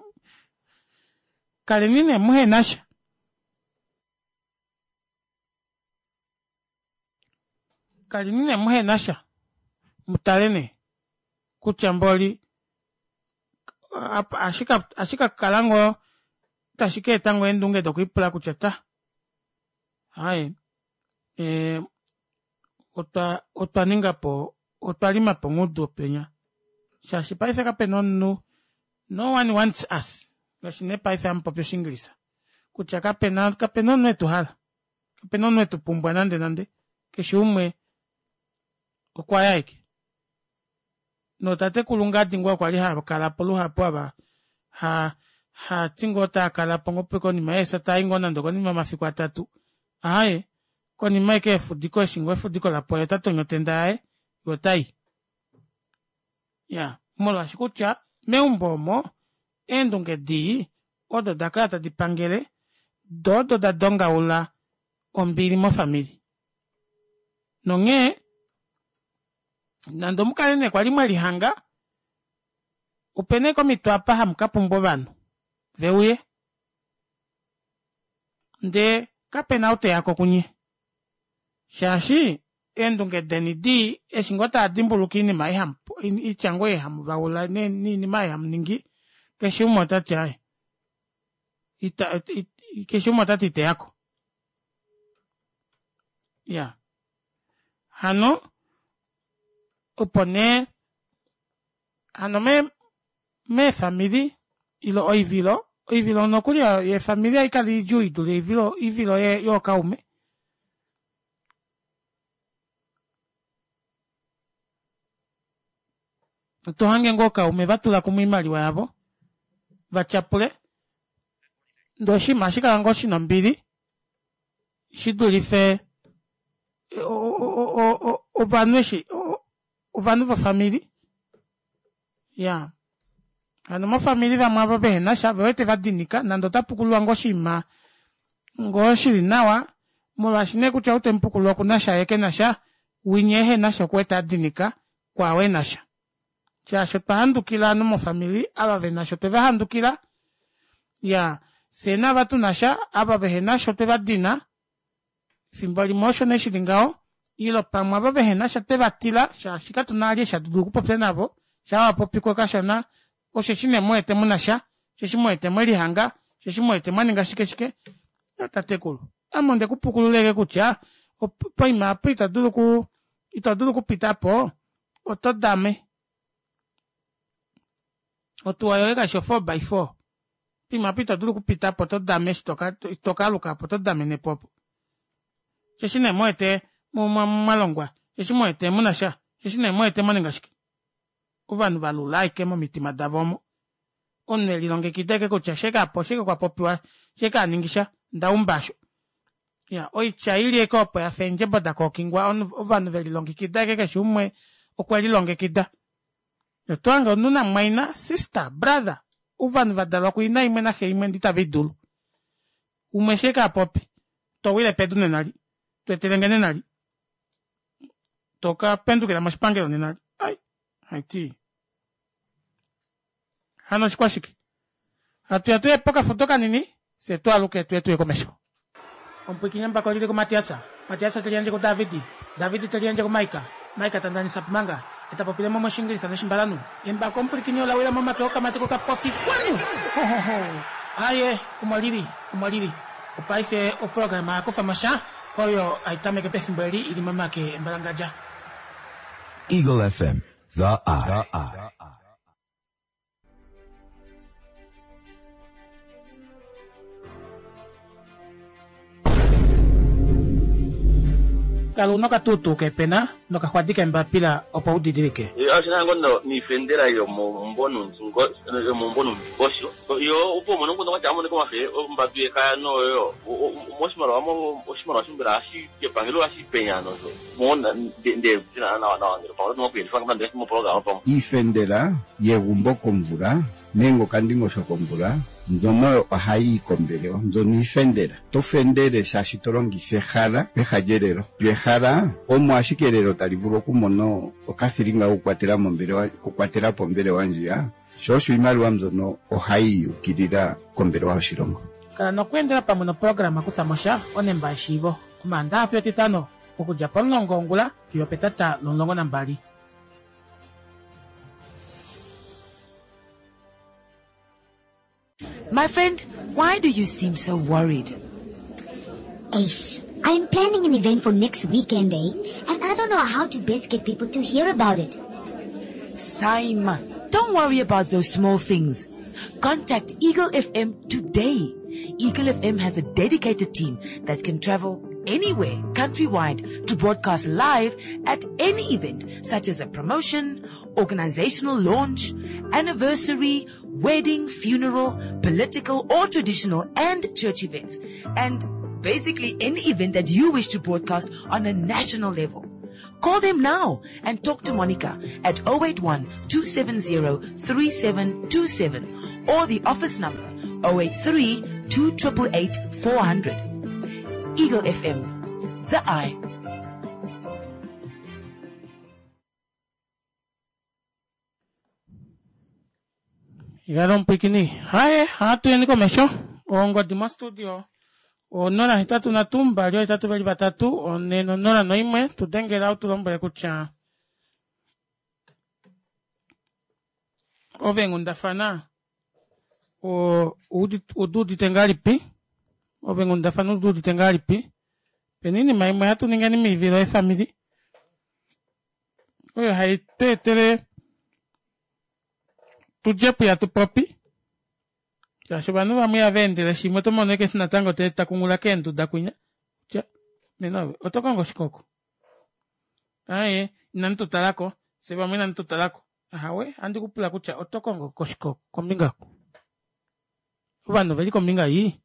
kaleni nee muhenasha. Kaleni nee muhe na sha, mu tale nee kutya mboli ohashi ka kala ngoo tashi ka eta ngoo eendunge dokwiipula kutya ta aaye eh, otwa otwa ninga po otwa lima po ongudu penya shaashi paife kape na omunhu no one wants us ngaashi nee paife hamu popi oshingilisa kutya kape na kape na omunhu etu hala Kape na omunhu e tu pumbwa nande nande. Keshe umwe okwa ya eke. Nootatekulu ngadi ngoo kwa li hava kala po luhapu ava ha ha ti ngoo taa kala po ngoo konima yeesa taa i ngoo nande okonima yomafiku atatu. Aaye, konima eke yefudiko eshi ngoo efudiko la pwa ye ota tonya otenda yaye ye ota i. Ya, molwaashi kutya meumbo omo eendunge dii odo da kala tadi pangele, do odo da dongaula ombili mofamili. Nonghee, nande omukale nee kwali mwe lihanga, ope nee komitwe apa hamu ka pumbwa ovanhu ve uye, ndee kape na ou te ya ko kunye. Shaashi eendunge deni dii eshi ngoo taa dimbuluka iinima ei hamu itya ngoo ei hamu vaula niinima ei hamu ningi, keshe umwe ota ti aye ita keshe umwe ota ti ite yako. Ya hano opo nee hano me meefamili ile oivilo oivilo nokuli yeefamili ohai kala idjuu i dule oivilo oivilo yookaume. Oto hange ngoo ookaume va tula kumwe oimaliwa yavo va tyapule ndee oshinima ohashi kala ngoo shina ombili shi dulife ovanhu eshi ovanhu vofamili ya hano mofamili vamwe avo vehena sha ve wete va dinika nande ota pukululwa ngoo oshinima ngoo shili nawa molwaashi nee kutya ou temupukulula okuna sha ye kena sha winya ehena sha okuwete adinika kwaao ena sha shaashi otwa handukila ovanhu mofamili ava vena sha otwe va handukila ya fyee naava tuna sha ava vehena sha otwe va dina Efimbo limwe osho nee shi li ngaho, ile pamwe ava vehe na sha twe va tila shaashi katu na vali eshi hatu dulu okupopya navo, shaa wa popi ko kashona osheshi nee mu wete mu na sha, osheshi mu wete mwe lihanga, osheshi mu wete mwa ninga shike shike. Tatekulu, ame onde ku pukulula ashike kutya poima apa ito dulu ku ito dulu okupita po, oto dame. Otuwa yoye kaishi o four by four. Poima apa ito dulu okupita po oto dame eshi to ka aluka po oto damene po opo. Osheshi nee mu wete mwa longwa, osheshi mu wete mu na sha, osheshi nee mu wete mwa ninga shike. Ovanhu va lula ashike momitima davo omo. Omunhu e lilongekida ashike kutya sheke apa oshike kwa popiwa, sheke a ningi sha, nda umba osho. Ya, oitya ili ashike opo ya fa eendjebo da kookingwa, ovanhu ve lilongekida ashike keshe umwe okwe lilongekida. Oto hange omunhu namumwaina, sister, brother, ovanhu va dalwa kuina imwe naxe imwe ndee itava idulu. Umwe eshi eke a popi, to wile pedu nenali, to etelenge nenali, to ka pendukila moshipangelo nenali. Ai, haiti. Hano oshikwashike? Hatu ya tuye pokafudo kanini, fye tu aluke tuye tuye komesho. Omupwiikini embako oli li kuMatias, Matias te liyandje kuDavid, David te liyandje kuMaika, Maika ta ndanisa Pumanga, e ta popile mo mOshiingilisa nOshimbalanhu. Embako omupwilikini ola wila momake okamati kokapofi kwanu! Ho, ho, ho! Aaye, omo li li, omo li li. Opaife oprograma ya kufa mo sha, oyo hai tameke pefimbo eli i li momake embalangadja. Eagle FM, the eye. Kala una okatuutuu keepena nokaxwadi keembapila opo u didilike. Oshi na ngoo noifendela yomaumbo noundjugo noundingosho. Yo opo umone omukundu kwatya amonike omafe ombadu yekaya noyo moshimaliwa oshimaliwa osho mbela ohashi epangelo ohashi penya nosho mo nde nawa nawa ngele pamwe oto okuyelifa nande moprograma pamwe. Iifendela yegumbo komvula nenge okandingosho komvula mbyono ohayi yi kombelewa mbyono iifendela. To fendele shaashi to longitha ehala peha lyelelo. Lyo ehala omo ashike elelo tali vulu okumona okathilinga kokukwatela mombelewa okukwatela po ombelewa ndjiya, sho osho iimaliwa mbyono ohayi yi ukilila kombelewa yoshilongo. Kala nokweendela pamwe noprograma Kutha mo sha, Onemba yeshiivo, Omaandaha fiyo Etitano, okudja pomulongo wongula fiyo opetata lomulongo nambali. My friend, why do you seem so worried? Ace, I'm planning an event for next weekend, eh? And I don't know how to best get people to hear about it. Saima, don't worry about those small things. Contact Eagle FM today. Eagle FM has a dedicated team that can travel anywhere countrywide to broadcast live at any event such as a promotion, organizational launch, anniversary, wedding, funeral, political or traditional and church events. And basically any event that you wish to broadcast on a national level. Call them now and talk to Monica at 081 270 3727 or the office number 083 2888 400. Eagle FM, the eye. Igala omupwikini. Haye, hatu yeni komesho. Ongodi mostudio. 083 283 401 tu dengela u tu lombwele kutya ove nghundafana odu udite ngahelipi ove nghundafana odu udite ngahelipi pena oinima imwe hatu ningeni miivilo yefamili oyo hai tu etele tudje puya tu popi shaashi ovanhu vamwe ihava endele shimwe oto mono eke natango te ta kungula keenduda kwinya tya nena ove oto kongo oshikoko aye inamu tu talako fye vamwe inamu tu talako ahawe andi kupula kutya oto kongo koshikoko kombinga ovanhu oveli kombinga yii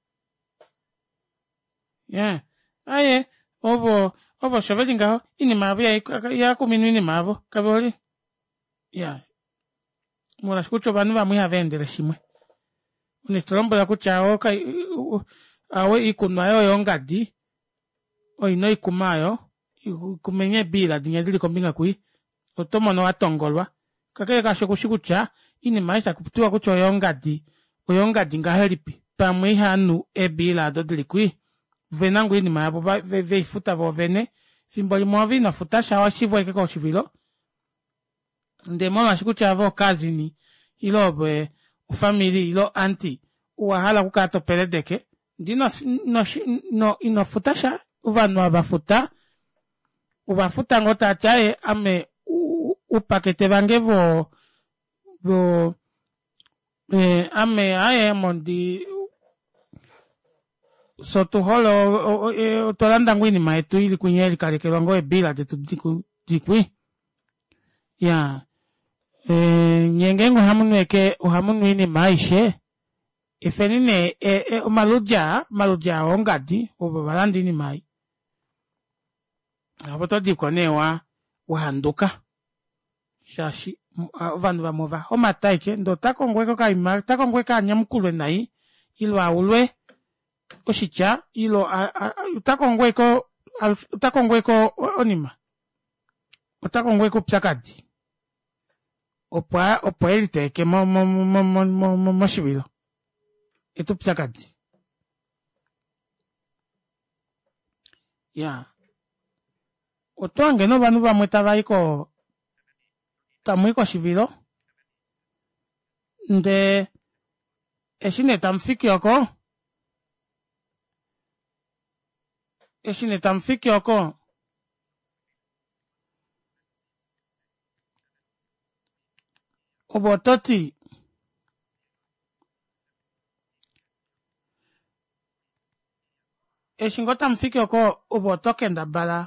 ya aye ovo ovo osho veli ngaho iinima yavo ihakuminwa iinima yavo kave hole ya molwaashi kutya ovanhu vamwe ihava endele shimwe une to lombwela kutya awe iikunwa yoyo yongadi oina oikuma ayo kumenye ebiila dinya dili kombinga kui oto mono wa tongolwa kakele kaasho kushi kutya iinima aishe taku tiwa kutya oyongadi oyongadi ngahelipi pamwe ihanu ebiila ado dili kui vena ngoo iinima yavo veifuta vo vene fimbo limwe ove ino futa sha washivwa ashike koshivilo ndee molwaashi kutya ove okazini ile ove ofamili ile oanti owa hala okukala to peledeke ndee ino, ino, ino, ino futa sha ovanhu ava futa ova futa ngoo tati aye ame upakete vange vo vo eh, ame aye mondi so tu hole otwa landa ngoo iinima yetu ili kwinya yelikalekelwa ngoo ebiila detu dikwi ya e, nye ngeenge ohamu nu eke ohamu nu iinima aishe efeni nee e, e, omaludi aa omaludi aa ongadi ovo va landa iinima ei opo to diko nee wa wahanduka shaashi ovanhu vamwe ova homata eke ndee ota kongo eke okaima ota kongo eke anyamukulwe nai ilo aulwe oshitya ilo ota kongo eke ota kongo eke onima ota kongo eke oupyakadi opo opo eliteeke mo mo mo mo mo moshivilo eta oupyakadi ya oto hange novanhu vamwe tava i ko tamu i koshivilo ndee eshi nee tamu fiki oko eshi nee tamu fiki oko ove oto ti eshi ngoo tamu fiki oko ove oto kendabala.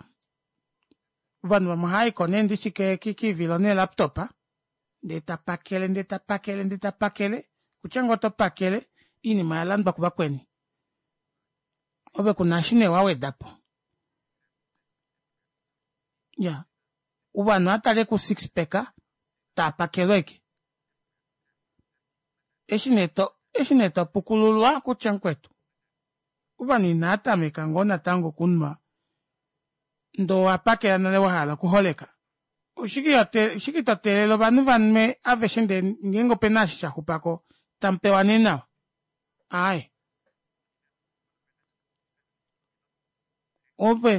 Ovanhu vamwe ohaayiko nee ndishi kiivilo neelaptop ndee tapakele ndee tapakele ndee tapakele kutya ngoo oto pakele oinima oyalandwa kuvakweni ove kuna eshi nee wawedapo iyaa ovanhu ohatale ku six pack taapakelwa ashike eshi nee to eshi nee topukululwa kutya mukwetu ovanhu inaatameka ngoo natango okunwa ndee owapakela nale wahala okuholeka oshike to teelele ovanhu vanwe aveshe ndee ngeenge opena eshi shaxupako tamupewa nee nawa aaye ove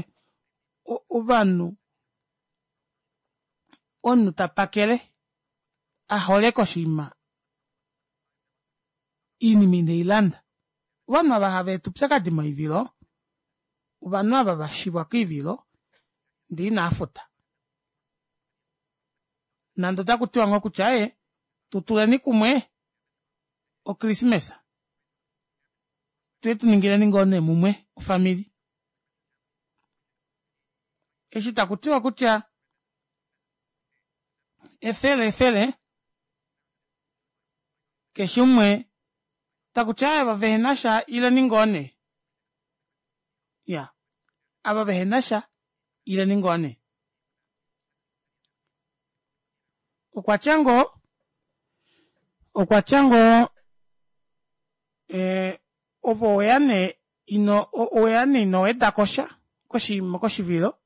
ovanhu omunhu tapakele aholeka oshinima oinima ineilanda ovanhu ava hava eta oupyakadi moivilo ovanhu ava vashivwa koivilo ndee inaafuta nande otaku tiwa ngoo kutya aaye tutuleni kumwe okrismesa tuye tuningileni ngoo nee mumwe ofamili eshi taku tiwa kutya efele efele keshe umwe takuti aaye ava vehena sha ileni ngoo nee ya ava vehena sha ileni ngoo nee okwa tya ngoo okwa tya ngoo eh, ove oweya nee ino oweya nee ino wedako sha koshivilo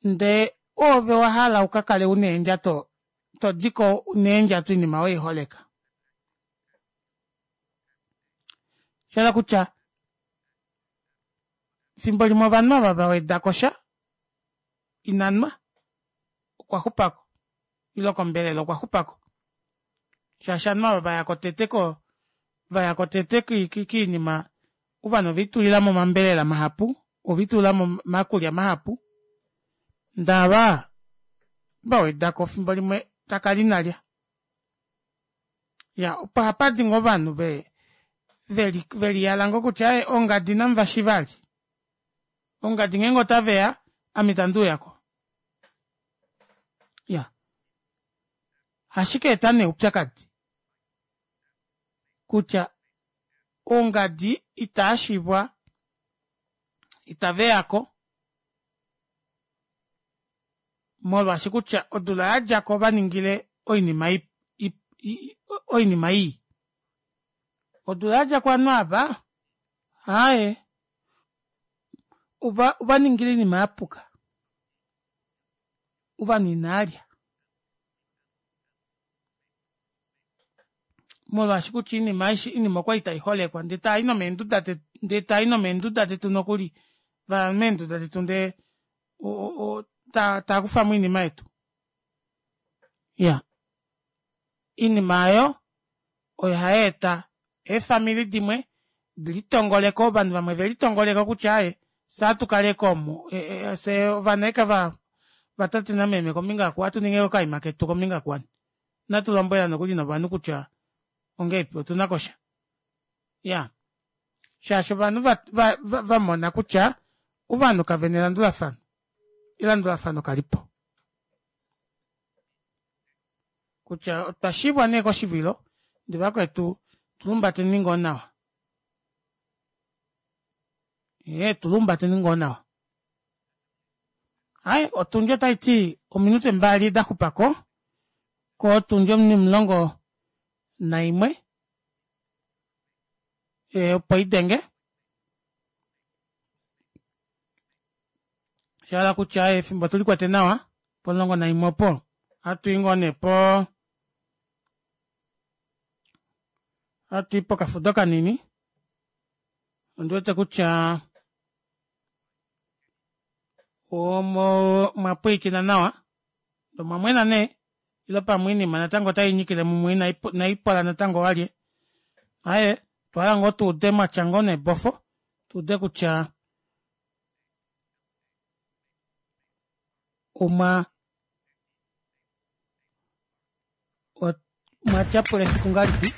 ndee oove wa hala ukakale una eendjato todiko neendjato oinima weiholeka shahala kutya efimbo limwe ovanhu ava vawedako sha inanwa okwa xupako ile kombelela okwa xupako shaashi ovanhu ava vayako tete ko vayako tete kiinima ovanhu ovelitulilamo omambelela mahapu ovelitulilamo omakulya mahapu ndee ava vawedako efimbo limwe takala inalya ya opo hapadi ngoo ovanhu ve veliyala ngoo kutya aaye ongadi inamuvashi vali ongadi ngeenge otaveya ame itandi uyako ya ashike eta nee oupyakadi kutya ongadi itaashivwa itaveyako molwaashi kutya odula yadjako ovaningile oinima oinima ii odula yadjako ovanhu ava aaye ovaningile oinima yapuka ovanhu inaalya molwaashi kutya oinima aishe oinima okwali taiholekwa ndee taayi nomeenduda ndee taayi nomeenduda detu nokuli vaya meenduda detu ndee taakufamo oinima yetu iya oinima aayo oyo hayeeta eefamili dimwe dilitongoleko ovanhu vamwe velitongoleko kutya aaye fye atukaleko omu fye ovana eka vatate nameme kombinga aku ohatu ningi okaima ketu kombinga kuwani inatu lombwela nokuli novanhu kutya ongeipi otuna kosha ya shaashi ovanhu vamona kutya ovanhu kavena elandulafano elandulafano kalipo kutya otwa shivwa nee koshivilo ndee vakwetu tulumbateni ngoo nawa ee tulumbateni ngoo nawa Ai, otundi otai ti ominute mbali da xupako kotundi omulongo naimwe e, opo idenge sha kutya efimbo tuli kwete nawa pomulongo naimwe opo ohatu i ngoo nee po ohatu i pokafudo kanini ondi wete kutya omo mwa pwilikina nawa omwa mwena nee ile pamwe oinima natango otai nyikile mumwe inaipola natango walye aaye otwa hala ngoo tuude mwatya ngoo neebofo tuude kutya omwa omwa tyapula efiku ngahelipi.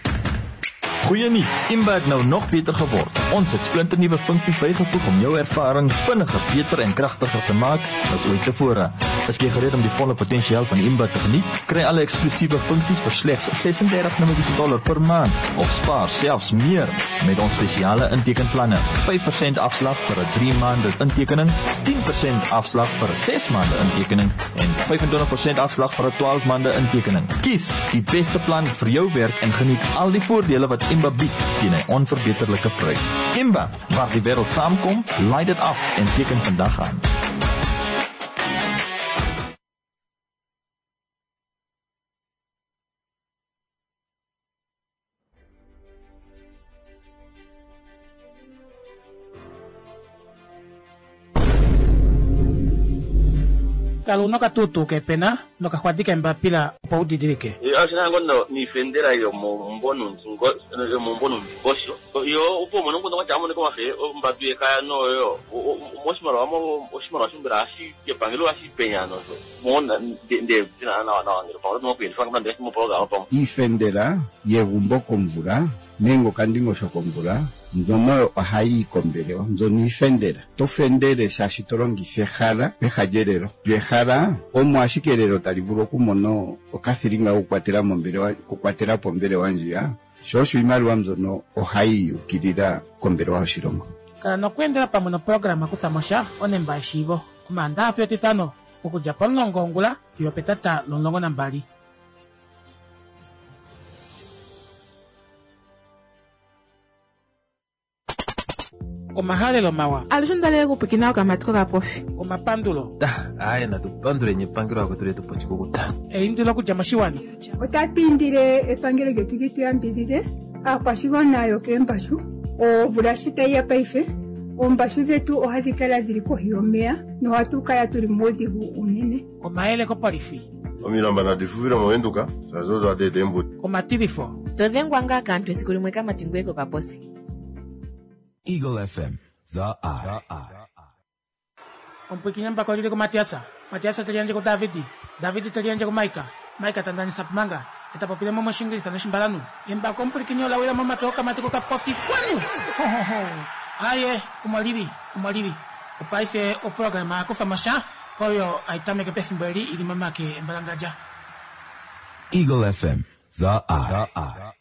Goeie nuus, Imba het nou nog beter geword. Ons het splinternuwe funksies bygevoeg om jou ervaring vinniger, beter en kragtiger te maak as ooit tevore. Is jy gereed om die volle potensiaal van Imba te geniet? Kry alle eksklusiewe funksies vir slegs $36 per maand of spaar selfs meer met ons spesiale intekenplanne. 5% afslag vir 'n 3 maande intekening, 10% afslag vir 'n 6 maande intekening en 25% afslag vir 'n 12 maande intekening. Kies die beste plan vir jou werk en geniet al die voordele wat Imba bied teen 'n onverbeterlike prys. Imba, waar die wêreld saamkom, laai dit af en teken vandag aan. Kala una okatuutuu kepena nokaxwadi kembapila opo u didilike. Oshina ngoo noifendela yomombo nomundingosho yo opo umone omukundu kwatya amonike omafe ombadu yekaya noyo moshimaliwa oshimaliwa shombela hashi epangelo hashi penya nosho mona nde nawa nawa ngele pamwe otomokuyendifa nande moprograma pamwe Iifendela yegumbo komvula nenge okandingosho komvula mbyono ohayi yi kombelewa mbyono iifendela. To fendele shaashi to longitha ehala peha lyelelo. Lyo ehala omo ashike elelo tali vulu okumona okathilinga kokukwatela mombelewa okukwatela po ombelewa ndjiya, sho osho iimaliwa mbyono ohayi yukilila kombelewa yoshilongo. Kala nokweendela pamwe noprograma Kutha mo sha onemba yeshiivo Omaandaxa fiyo Etitano okudja pomulongo wongula fiyo opetata lomulongo nambali. Omahalelo mawa. Alushe onda li okupwiikina okamati kokapofi. Omapandulo. Aaye natu panduleni epangelo akwetu letu po oshikukuta. Eindilo okudja moshiwana. Otatu indile epangelo lyetu li tu yambidhidhe aakwashigwana yokeembashu. Omvula shi tayi ya paife, oombashu dhetu ohadhi kala dhili kohi yomeya nohatu kala tuli muudhigu uunene. Omayele kopolifi. Omilamba nadi fuvile mOvenduka, shaashi odo hadi eta eembuto. Omatilifo. To dhengwa ngaa kaantu esiku limwe kamati ngoye kokaposi. Eagle FM, the eye. Omupwiikini embako olili kuMatiasa, Matiasa te liyandje kuDavidi, Davidi te liyandje kuMaika, Maika ta ndanisa Pumanga, e ta popile mo mOshingilisa nOshimbalanhu. Embako omupwilikini ola wila momake okamati kokapofi kwanu! Ho, ho, ho! Aaye, omo lili, omo lili. Opaife oprograma ya kufa mo sha, oyo hai tameke pefimbo eli i li momake embalangadja. Eagle FM, the eye.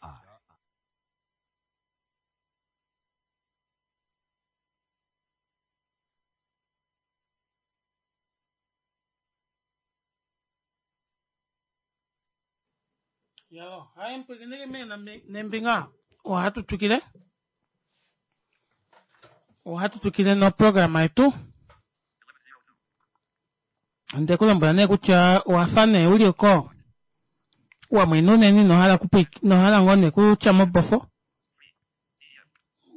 Yo, hai mpwikinike mena nembinga ohatu twikile ohatu twikile noprograma yetu nde ku lombwela nee kutya owa fa nee uli oko wa mwena unene ino hala ino hala ngoo nee kutya mobofo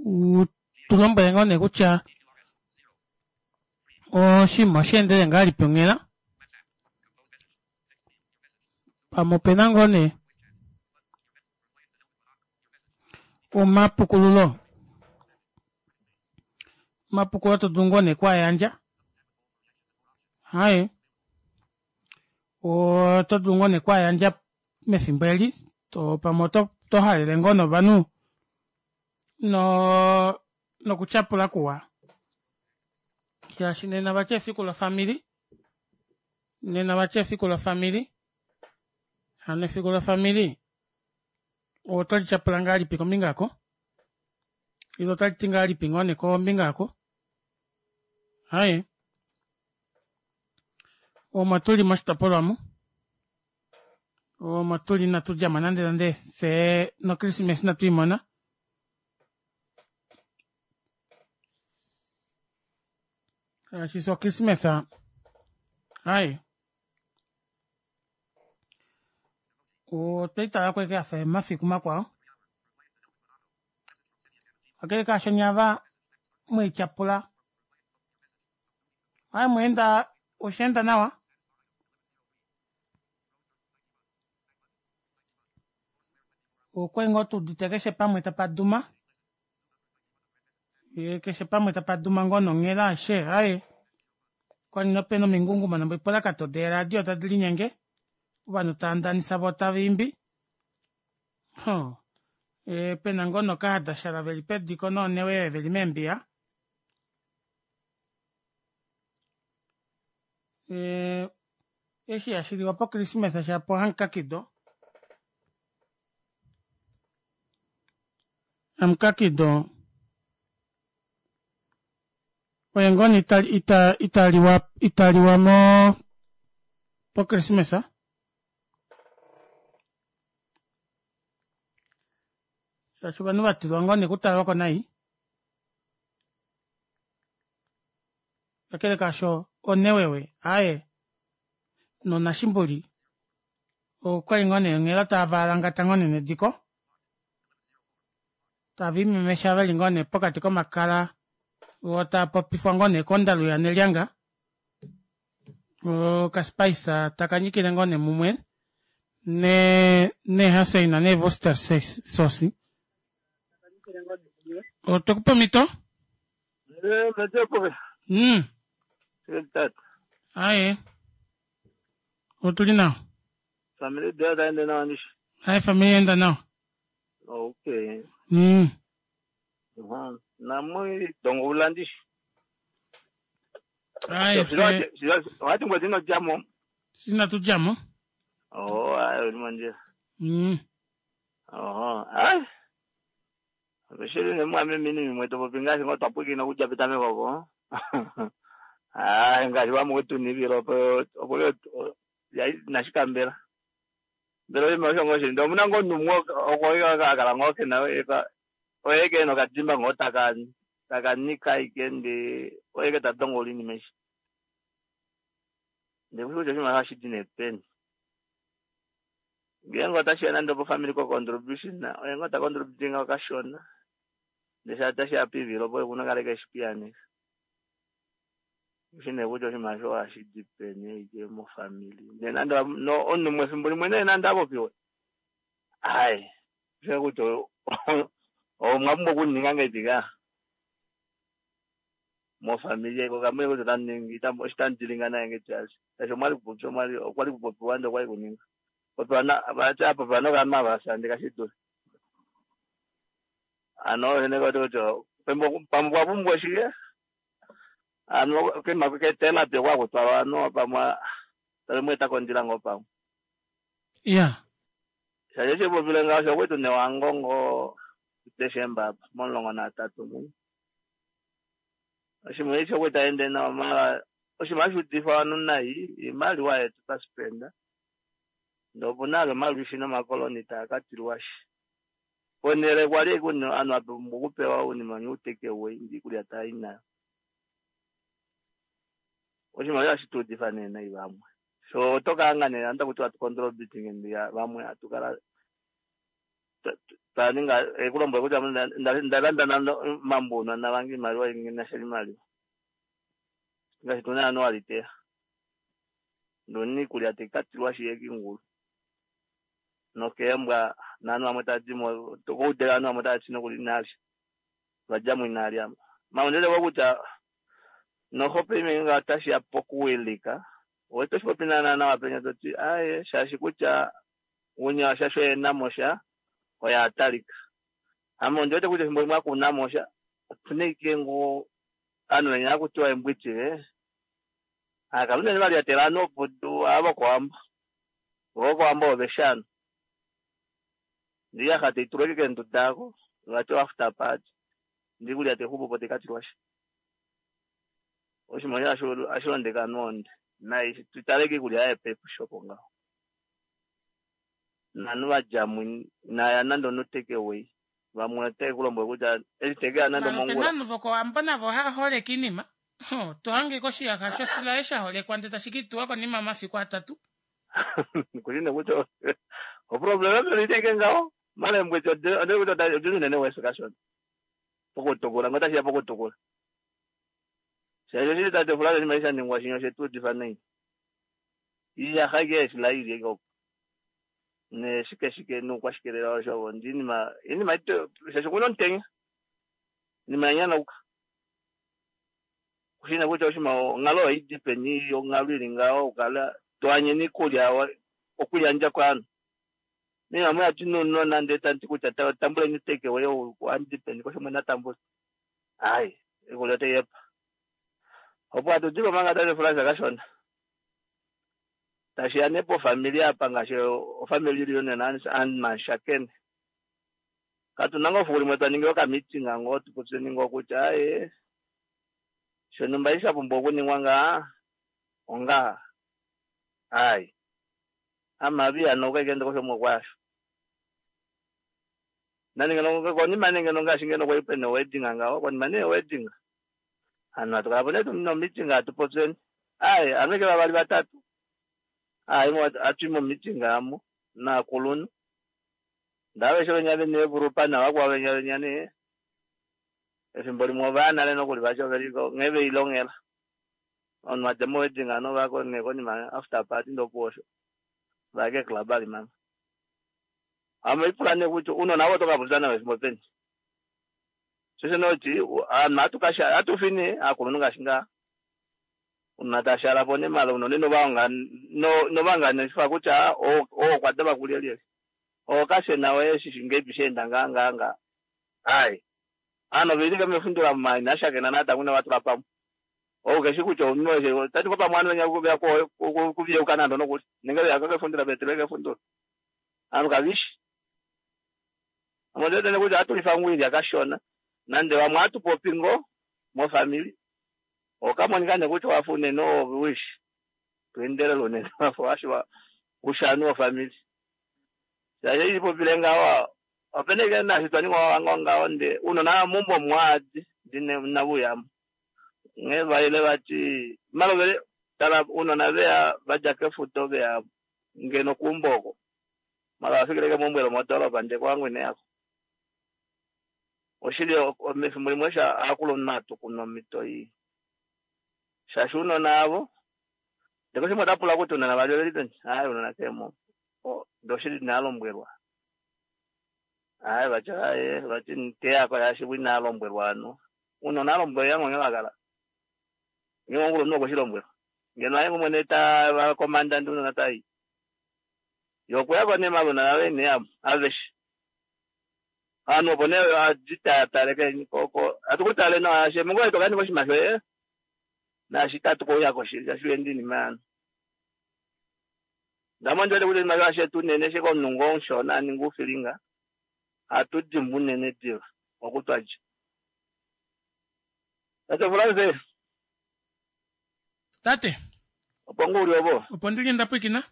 u tu lombwele ngoo nee kutya oshinima osha endele ngahelipi onghela pamwe opena ngoo nee omapukululo omapukululo to dulu ngoo nee kwaayandja haye oto dulu ngoo nee kwaayandja mefimbo eli to pamwe oto to halele ngoo novanhu no nokutyapula kuwa shaashi nena vati efiku lofamili nena vati efiku lofamili hano efiku lofamili oto li tyapula ngahelipi kombinga yako ile otali ti ngahelipi ngoo nee kombinga yako haye omo tuli moshitopolwa mu omo tuli inatu djamo nande nande fye nokrismesa inatu imona shaashi fye okrismesa haye otwei tala ko ashike yafa omafiku makwao kakele kaasho nyava mweityapula haye mweenda osheenda nawa okwali ngoo tuudite keshe pamwe tapa duma ye keshe pamwe tapa duma ngoo nonghela ashe aye kwali nopena omingungumo noipolakato deeradio tadi linyenge ovanhu tava ndanisa voo tava imbi. E, pena ngoo nokahadashala veli pediko noonewewe veli meembiya. E, eshi hashi liwa pokrismesa shapo hamukakido. Hamukakido oye ngoo nee ita, ita, ita liwa, ita liwa mo pokrismesa. Shaashi ovanhu va tilwa ngoo nee okutalwa ko nai. Kakele kaasho onewewe aaye nonashimbuli okwali ngoo nee onghela tava alangata ngoo nee nediko tava imemesha veli ngoo nee pokati komakala vo tava popifwa ngoo nee kondalu yanelyanga okaspice taka nyikile ngoo nee mumwe ne neehaseina neevoster sosi otwe kupa omhito Aye. Otuli nawa. Family deo taende nawa ndishi. Aye family enda nawa. Okay. Namwe dongo ulandishi. Aye se. Wati ngwe dino jamo. Sina tu jamo. Oh, aye uli mondjila. Oho. Aye. Oshili nemwamemini mimwe to popi ngaashi ngoo twa pwilikina okudja petameko opo. Aa ngaashi vamwe wetu nivila opo opo inashi kambela. Mbela oshinima osho ngoo shili ndee omuna ngoo omunhu umwe oko a kala ngoo kena oye ke ena okadimba ngoo taka taka nika ashike ndee oye ke ta dongola oinima eshi. Ndee kushi kutya oshinima ohashi di nee peni. Ngeenge otashiya nande opo family ko contribution oye ngoo ta contribute ngaho kashona ndee sha tashiya piivilo opo okuna kale keshi piyaaneka. Kushi nee kutya oshinima osho ohashi di peni ashike mofamili. Ndee nande no omunhu umwe efimbo limwe nee nande apopiwe ai kushe kutya omwa pumbwa okuninga ngahelipi ka mofamili eko kamwe kutya otamu ningi oshi tamu dilinga naye ngahelipi ashi shaashi omwali kupopya omwali okwali kupopiwa ndee okwali kuninga popiwa na vati apopiwa novanhu ava shande kashi dule ano ene koti kutya pamwe pamwe okwa pumbwa shike ano kema ketelapi okwa kutwalwa ano pamwe tali mu eta kondjila ngoo pamwe Ya. shaashi eshi popile ngaho osho kwetu newangongo Desemba apa mo-13 mu oshimwe eshi okwe taende nawa mara oshinima hashi udifa ovanhu nai iimaliwa yetu twa spenda ndee opuna ale omalwishi nomakoloni taa ka tilwashi ponhele kwali ovanhu vapumbwa okupewa ounima new take away ndee iikulya tai nayo oshimaliwa hashi tuudifa nee nai vamwe so oto kaanga nee anda kutiwa tu contributing ndiya vamwe hatu kala twa ninga ekulombwela kutya nda landa nando mambunwa navange iimaliwa inasha imaliwa ngaashi tuna ano waliteya ndoni iikulya tayi ka tilwashi yekingulu nokeembwa naanhu vamwe tadimo koudele ovanhu vamwe tava ti nokuli inalya vadjamo inalya maundele kutya noho paife nga otashiya pokuwilika owete oshipopi naana nawa penya toti aye shaashi kutya unya shaashi oye namosha oye atalika ame ondi wete kutya efimbo limwe akunamosha opuna ike ngoo ovanhu venya hakutiwa embwitile akala unene valyatela ovanhu opudu ava vokowambo vokowambo oveshano ndee iyaxa taitulwa ike keenduda ako vati oafter party ndee iikulya taixupupo taikatilwashi oshinima osho hashi londeke ovanhu ohonde nai tutale kiikulya yaPep Shop ngaho novanhu vadjamo inaya nande ono take away vamwe otae kulombwele kutya eshi tekeya nande Mara opena omongula ovanhu vokowambo navo hava holeke iinima. To hange koshiyaxa shosilaye sha holekwa ndee tashi kiituwa konima yomafiku atatu. Kushi nee kutya oproblema mbela itaike ngaho mara embweti ode kutya odili unene wesi kashona pokutukula ngoo otashiya pokutukula shaashi oshili tate Fulaga oshinima eshi sha ningwa shinya oshetu udifa nai iyaxa ike eeshila ili ike opo neshike shike noukwashikelela osho ndi inima inima shaashi okuna omutenya inima yanyanauka kushina kutya oshinima onghalo ohaidi peni onghalo ili ngaho okukala to anyene iikulya okuyandja kovanhu. Mina mwe ati nounona ndee tanti kutya tambuleni take away oandipeni kosho mwe natambula. Ai, iikulya otai hepa. Opo hatu di po manga tate Frans kashona. Tashi ya nee pofamili apa ngaashi ofamili reunion and Mashakene. Katu na ngoo efiku limwe twa ningi okameeting ngoo tu popyeni ngoo kutya aye shontumba eshi sha pumbwa okuningwa ngaa ongaha. Ai. Amavi ano okwa kosho mokwasho. Nani ngeno konima nee ngeno ngaashi ngeno kwali pena wedding ngaho konima nee wedding. Hano hatu kala po nee tuna meeting hatu popyeni. Ai, anu ke vavali vatatu. Ai, hatu i mo meeting amo naakulunhu. Ndaveshe venya vene evulupa navakwao venya venya nee. Efimbo limwe ovaya nale nokuli vati oveliko nghee veilongela. Omunhu adja mo wedding ano vako nee konima after party ndopuwo osho. Vaya keclub ali manga. Ame ipula nee kutya uunona ovo oto ka popya navo efimbo peni. Shosho noti ovanhu ohatu kasha ohatu fi nee aakulunhu ngaashi ngaa. Uunona tashala po nee mala unene novahonga novanganifa kutya oo okwa dava kulyelye. Oo kashena oye shishi ngeipi sheenda ngaa ngaa ngaa. Ai. Ovanhu oveli ke mefundula muma shakena natango ina vatula pamwe. Ou keshi kutya omunhu eshe tati ko pamwe ovanhu venya veya kuviyeuka nando nokuli. Nenge veya kefundula vetelwe kefundula. Ovanhu kavishi. Ame ondi wete kutya ohatu lifa ngoo oilya kashona. Nande vamwe ohatu popi ngoo mofamili. Okamonika nee kutya owafa unene owishi. Tweendelele unene wafa washiwa ushanu wofamili. Shaashi ipopile ngaho opena ike naashi twa ningwa ngaho ngaho nde uunona mumbo mwaadi ndine navuyamo. Nghee vaile vati malovele tala uunona veya vadja kefuto veya ngeno kuumbo oko. Mala vafikile mombwelo modoropa nde kwangu ine yako. Oshili mefimbo limwe osho aakulunhu hatu kunu omito ii. Shaashi uunona avo ndeko shimwe otapula kutya uunona vali oveli peni. Ai uunona kemo. Ndoshili inalombwelwa. Ai vati aye vati nteyako yaashi inalombwelwa ano. Uunona alombwelwa yango nghee vakala. Ngee omukulunhu okwe shi lombwelwa. Ngeno aye mwene ta komanda ndi uunona tayi. Yo okuyako nee maluna ave nee amo aveshe. Ovanhu opo nee adi tale koko hatu ku tale nawa shaashi mungoye to kaninga oshinima shoye naashi itatu kuuya koshili shaashi uyendi iinima yanu. Ndamo ndi wete kutya oshimaliwa shetu unene shike omunhu ngoo omushona aninga uufilinga ohatu dimbwa unene diva oku twadja. Tate Frans. Tate. Opo ngoo uli opo? Opo ndili ndapwikina.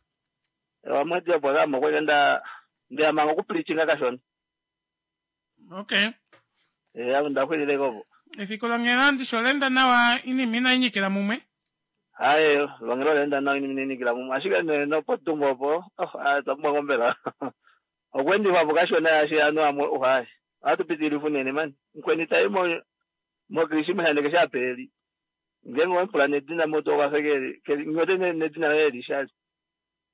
Wamwedi opo kamo kweke nda ndeyamanga okupreachinga kashona. Okay. Eh, ndaxwilile kopo. Efiku longhela ndisho lenda nawa inima inainyikila mumwe. Hayi, longelo lenda nawa inima inainyikila mumwe. Ashike nee nopotumbo opo, oh, twa pumbwa ngombela. Okwendifa po kashona yaashi anu amwe, oh, hayi. Ohatu pitilifa unene mani. Mukweni tayi mo mokrisima ndeke shapeli. Ngenge wemupula nedina moto okafe keli nyote nedina laye lishali.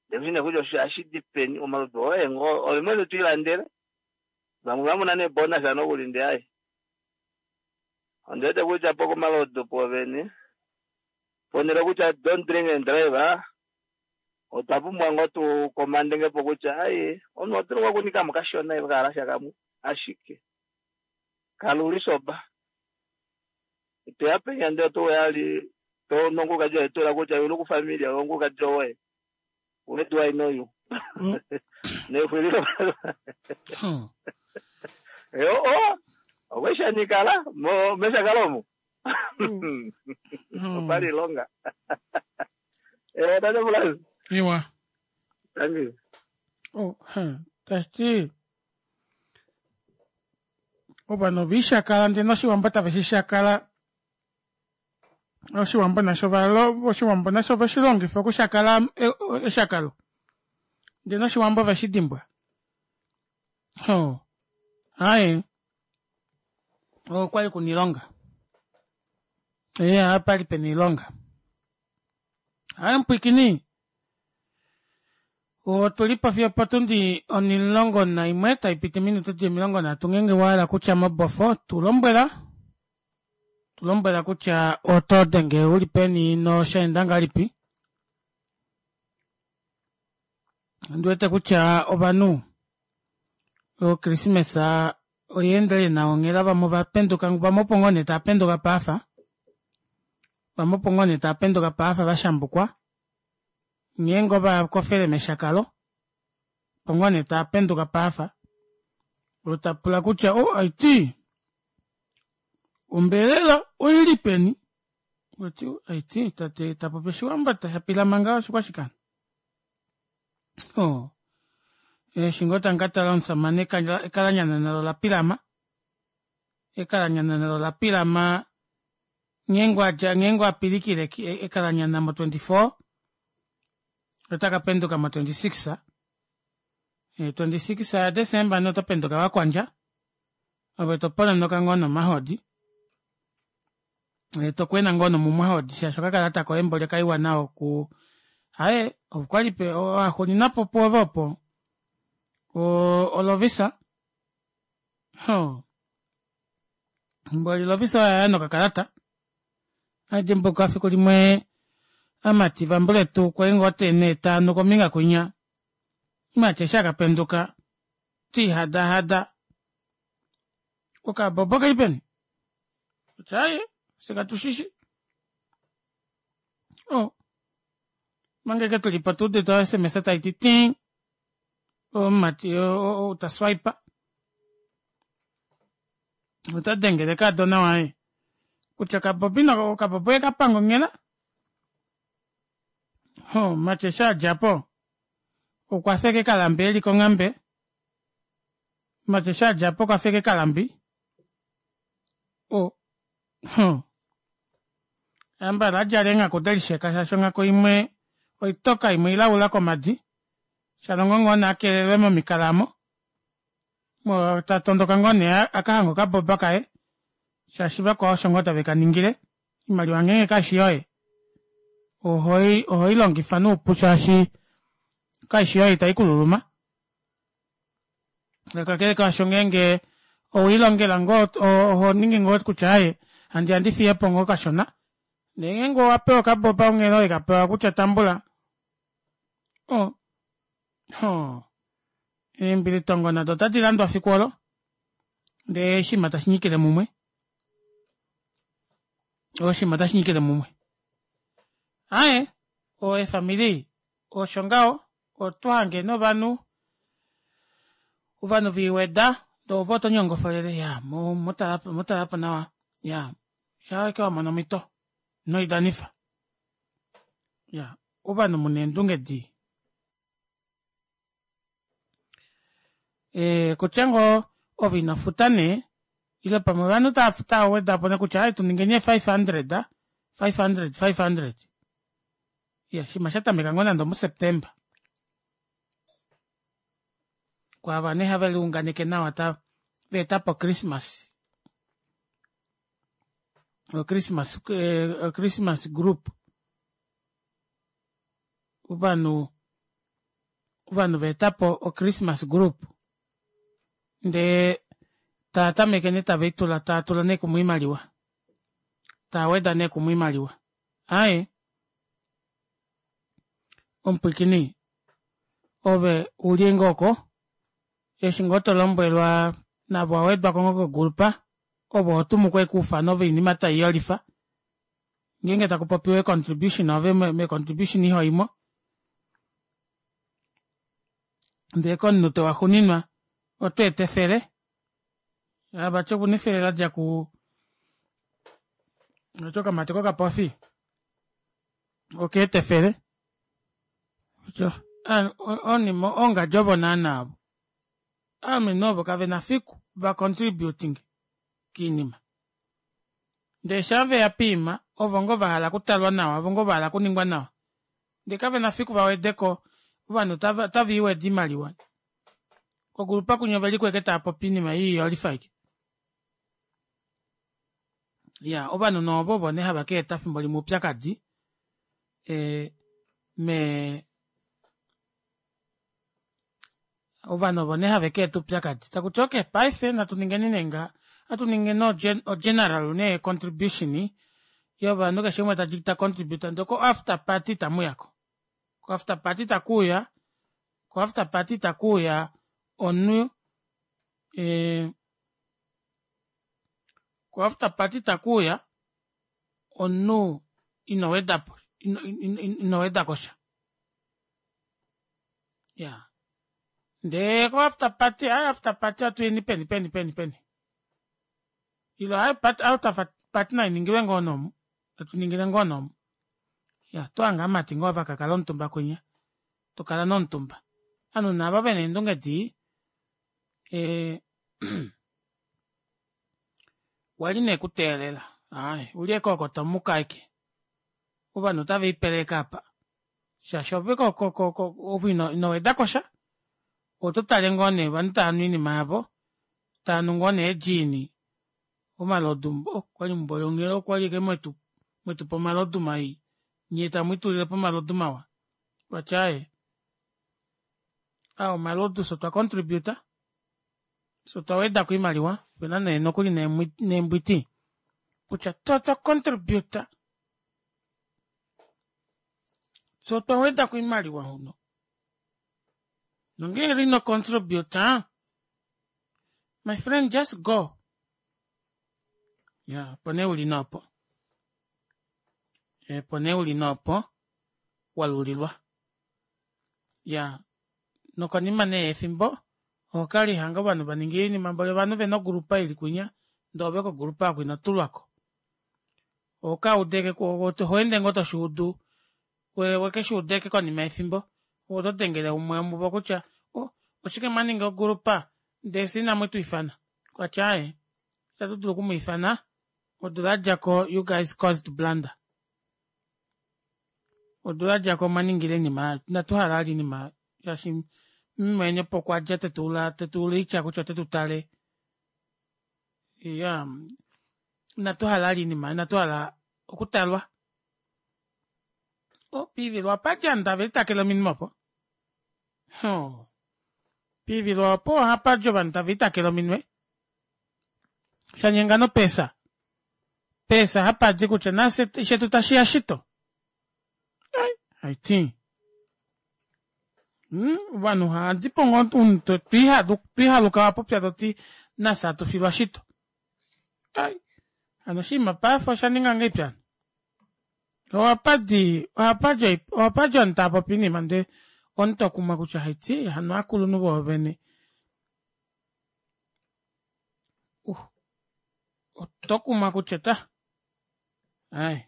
Ndekushine kutya osho ashidi peni omalodu oye ngoo ove mwene twiilandele. Vamwe vamona nee bonus nokuli nde ayi. Ondi wete kutya po komalodu povene. Ponele kutya don't drink and drive. Otwa pumbwa ngoo tu komandenge po kutya ayi omunhu oto dulu okunikamo kashona kahalasha kamwe ashike kaluli soba. Toya penya ndee oto yali to nonguka jo etola kutya yulu ku familia onguka jo we. Where do I know you? Nefwililo. Yo oh okweshanikala mo meshakalomo. Opali longa. Eh tate Frans. Iwa. Thank you. Oh, tashiti ovanhu ovishakala ndee noshiwambo tave shi shakala oshiwambo nasho valo oshiwambo nasho veshilongifa okushakala eshakalo ndee noshiwambo veshidimbwa. Oh. Hayi. Okwali kuna iilonga. Ee, apali pena iilonga. Hayi mupwikini. Otuli po fiyo opotundi 11 taipiti minutu di 30 ngenge wahala kutya mobofo tulombwela. Tulombwela kutya oto denge uli peni noshaenda ngalipi. Ndi wete kutya ovanhu Okrismesa oya endele nawa onghela vamwe ovapenduka vamwe opo ngoo nee tava penduka paafa. Vamwe opo ngoo nee tava penduka paafa vashambukwa. Ngeenge ova kofele meshakalo opo ngoo nee tava penduka paafa. Ota pula kutya o aiti ombelela oili peni? Oti aiti tate ta popi oshiwambo ta pilama ngaho oshikwashikana. Oh. Eshi ngoo tamu ka tala omusamane ekalanyana nalo la pilama. Ekalanyana nalo la pilama ngeenge adja ngeenge apilikile ekalanyana mo 24 ota ka penduka mo 26. 26 ya Desemba noto penduka wakwandja. Ove to pononoka ngoo nomahodi. To kwena ngoo nomumwahodi shaashi okakalata koye mboli okaiwa nao ku aye okwali pe waxulinapo pwoove opo olovisa ho mboli lovisa oya ya nokakalata adimbuka fiku limwe amati vambuletu kwali ngoo tene taanu kombinga kwinya mati eshi akapenduka tiihadahada okabobo keli peni kutya aye fye katu shishi o mange ke tuli po tuudite o sms tai ti ting omumati ta swipe ota dengele kaadona waye kutya okabobi okabobo oye ka panga onghela ho mati eshi a dja po okwa feke kalambi eli konghambe mati eshi a dja po okwa feke kalambi o Ambala a djala eenghaku de lisheka shaashi onghaku imwe oitoka imwe ilaula komadi. Shalongo ngoo nee a kelelwe momikala omo. Ta tondoka ngoo nee a ka hange okaboba kaye shaashi vakwao osho ngoo tave ka ningile. Oimaliwa ngeenge kaishi yoye ohoi ohoi longifa noupu shaashi kaishi yoye itai ku luluma. Kakele kaasho ngeenge owelilongela ngoo oho ningi ngoo kutya aaye handi ya ndi fiye po ngoo kashona ndee ngeenge owa pewa okaboba onghela owe ka pewa kutya tambula o ho eembilitongo nado otadi landwa fiku olo ndee oshinima tashi nyikile mumwe oshinima otashi nyikile mumwe aaye oefamili Osho ngaho, oto hange novanhu, ovanhu ve iweda, ndee ove oto nyongofolele, ya, mu, mu tala, mu tala po nawa, ya, sha ashike wa mona omhito, ino i danifa. Ya, ovanhu mu na eendunge dii. E, kutya ngoo ove ino futa nee, ile pamwe ovanhu tava futa weda po nee kutya ai tu ningeni 500, 500, 500. Ya, shima sha tameka ngoo nande omuSeptemba. Kwaava nee have liunganeke nawa ta va eta po Christmas. O Christmas, eh, Christmas group. Ovanhu ovanhu va eta po o Christmas group. Ndee tava tameke nee tave i tula, tava tula nee kumwe oimaliwa. Tava weda nee kumwe oimaliwa. Aye, omupwiikini, ove u li ngoo oko, eshi ngoo to lombwelwa navo wa wedwa ko ngoo kogulupa, ove oho tumu ko ashike oufano voinima tai yolifa. Ngeenge taku popiwa eecontribution ove meecontribution iho i mo. Ndee komunute waxuninwa oto eta efele. Vati okuna efele la dja ku vati okamati kokapofi oka eta efele. Onima ongadji ovo naana ovo. Aalumenhu ovo kave na fiku va contributing kiinima. Ndee shaa veya piima ovo ngoo va hala okutalwa nawa, ovo ngoo va hala okuningwa nawa. Ndee kave na fiku va wede ko ovanhu otava iweda oimaliwa. Kokulupa kwinya ove li kweke tava popi oinima ii yolifa aike. Ya, ovanhu nee ovo ovo nee hava ka eta fimbo limwe oupyakadi e, me ovanhu ovo nee have ka eta oupyakadi taku ti okay paife natu ningeni nee ngaha atu ningeni ogeneral nee contribution yovanhu keshe umwe ta ta contribute ndee ko after party tamu yako ko after party takuuya ko after party takuuya omunhu. Eh, ko after party takuuya omunhu ino wedapo ino weda kosha ya ndee ko after party ai after party atuyeni peni peni peni peni ilo ai after party nainingilwe ngoo nomu atuningile ngoo nomu ya tohanga amati ngoo vakakala omutumba kwinya tokala nomutumba ovanhu naavo vena eendunge dii eh, wali nee kuteelela ai uli eke oko tomuka aike ovanhu otave ipeleka apa shaashi ove ove ino weda kosha oto tale ngoo nee ovanhu tava nu oinima yavo tava nu ngoo nee eedjiini omalodu okwali mbolongelo okwali eke mwetu mwetupa omalodu mai nyee tamu itulilepo omalodu mawa vati aaye aa omalodu fye otwa contributa fye otwa wedako oimaliwa opena nee nokuli neembwiti kutya fye otwa contributa fye otwa wedako oimaliwa huno nongeenge ino contributa my friend just go ya opo nee uli noopo opo nee uli noopo walulilwa ya nokonima nee yefimbo oho kala lihanga ovanhu vaninga oinima mboli ovanhu vena ogrupa ili kwinya ndee ove kogrupa oko ino tulwako oho kaudeke oho ende ngoo toshuudu wekeshuuda ashike konima yefimbo oto dengele umwe womuvo kutya oh, oshike mwa ninga ogrupa ndee fye inamu tu ifana kwatya aaye itatu dulu oku mu ifana odula yadjako you guys caused blunder odula yadjako omwa ningile oinima inatu hala vali oinima shaashi mumweni opo okwa dja tetuula tetuula oitya kutya ote tu tale iya inatu hala vali oinima inatu hala okutalwa oh, piivilwa opa dja ovanhu tave litakele ominwe opo oh. Piivilwa opo ohapa di ovanhu tave litakele ominwe shanyenga nopesa pesa hapadi kutya nafye shetu tashiya shito haiti hmm? ovanhu ohadipo ngoo omunhu twiihaluka wapopya toti nafye atufilwa shito ai hano oshinima paife osha ninga ngahelipi hano ohapadi ohapadi ohapadi ovanhu tava popi oinima ndee omunhu tokumwa kutya haiti hano aakulunhu voovene uh, oto kumwa kutya ta ai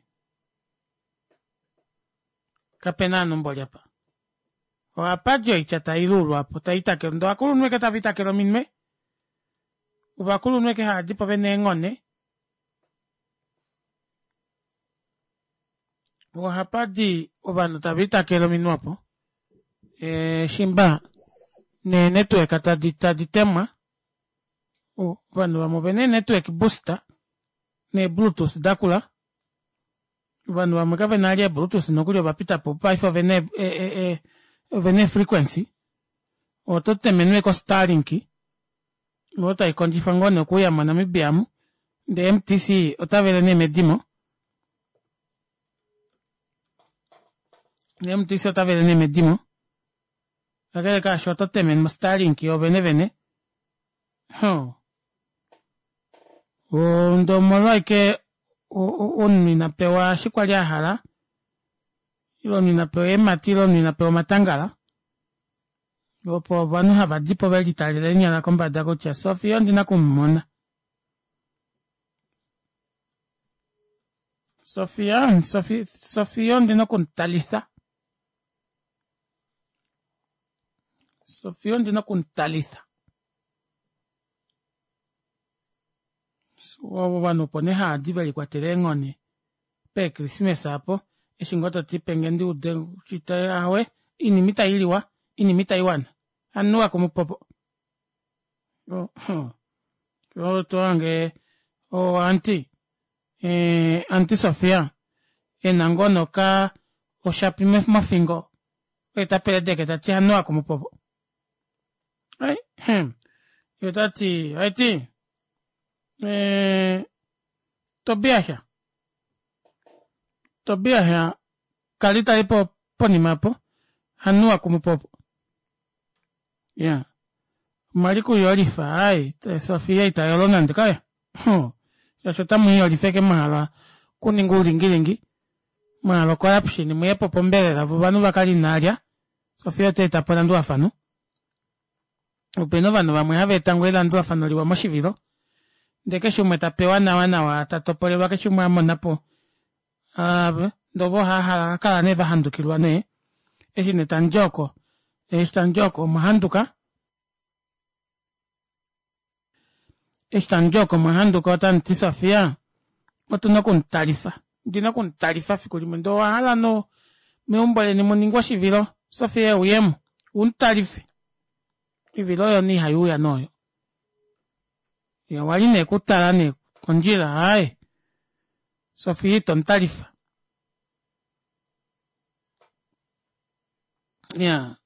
kapena ovanhu mboli apa ohapadi oitya tailuulwa apo taitakele ndee ovakulunhu eke tava itakele ominwe ovakulunhu eke haadipo vena eenghone ohapadi ovanhu tava itakele ominwe opo e, shimba neenetwork tadi tadi temwa ovanhu vamwe ovena eenetwork booster neebluetooth dakula ovanhu vamwe kavena ali eebluetooth nokuli ovapita po paife ovena ovena eefrequency oto temenwe ko-starlink oyo tai kondjifa ngoo nee okuuya monamibia amu ndee mtc otavele nee medimo mtc otavele nee medimo kakele kaasho oto temenwa starlink yovene vene huh. Ndee omolwaike omunhu ina pewa eshi kwali ahala ile omunhu ina pewa eemhati ile omunhu ina pewa omatangala opo ovanhu hava dipo velitalele eenyala kombada kutya Sofia ondina okumumona Sofia Sofia ondina okumutalitha Sofia ondina okumutalitha ovanhu opo nee haadi velikwatela eenghone peekrismesa apo eshi ngoo toti penge ndi ude ahowe oinima itailiwa oinima itaiwana anuwa kumupopo tohange o aunty aunty Sofia ena ngoo noka oshapi mofingo oye tapeledeke tati anuwa kumupopo ye otati haiti Tobias Tobias kali tali po ponima po anuwa kumupopo ya. Omwali kuyolifa ai Sofia ita yolo nande kaya shaashi otamu iyolifa eke mwahala okuninga oulingilingi mwahala ocorruption muyepo pombelela vo ovanhu vakale inaalya Sofia ota etapo elandulafano opena ovanhu vamwe hava eta ngoo elandulafano liwa moshivilo ndee keshe umwe ta pewa nawa nawa ta topolelwa keshe umwe amonapo ndee ovo hava kala nee vahandukilwa nee eshi nee tamudi oko eshi tamudi oko omwahanduka eshi tamudi oko omwahanduka otamuti Sofia otuna okumutalifa ndina okumutalifa fiku limwe ndee owahala no meumbo leni muningwe oshivilo Sofia euyemo umutalife oivilo oyo nee ihaiuya nee oyo ye owali nee kutala nee kondjila aaye Sofia ito mutalifa ya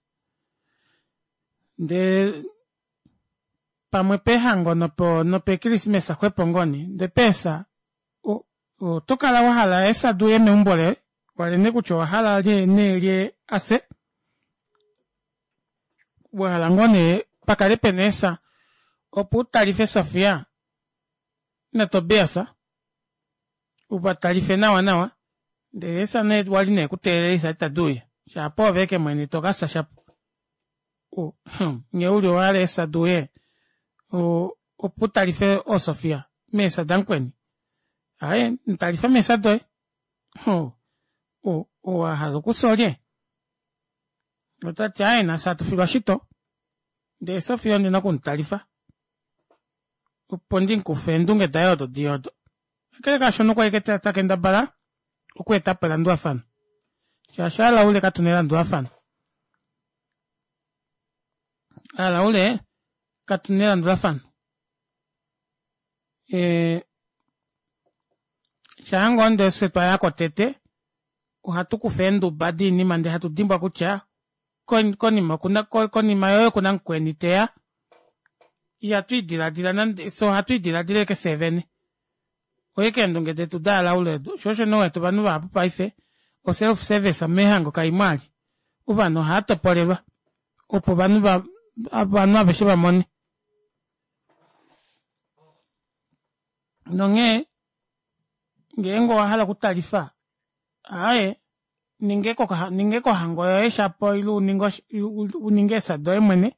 ndee pamwe pehango nopo nopekrismesa xwepo ngoo nee ndee peesa oto kala wahala eesa duuye meumbo loye walene kutya owahala nee lye ase wahala ngoo nee pakale pena eesa opo utalife Sofia naTobias uvatalife nawa nawa ndele eesa nee wali nee kuteelela eesa itadi uya shaapo oove eke mwene tokafya shapo nghee uli owahala eesa duuye opo utalife oosofia meesa damukweni aaye mutalifa meesa doye owahala okufya olye otati aaye nafye atufilwa shito ndee Sofia ondina okumutalifa opo ndimukufe eendunge daye odo dii odo kakele kaashono okwa ike takendabala okweetapo elandulafano shaashi alaule katuna elandulafano alaule katuna elandulafano e, shaa ngoo ndee fye twayako tete ohatu kufa eenduba diinima ndee hatu dimbwa kutya konima okuna konima yoye okuna mukweni teya ihatu idiladila nande fye ohatu idiladila eke fye vene oye keendunge detu daalaule odo sho osho nee wete ovanhu vahapu paife o self service meehango kaimo ali ovanhu ohava topolelwa opo ovanhu va ovanhu aveshe va mone nonghee ngeenge owa hala okutalifa aaye ninge kohango yoye shapo ile uninge eesa doye mwene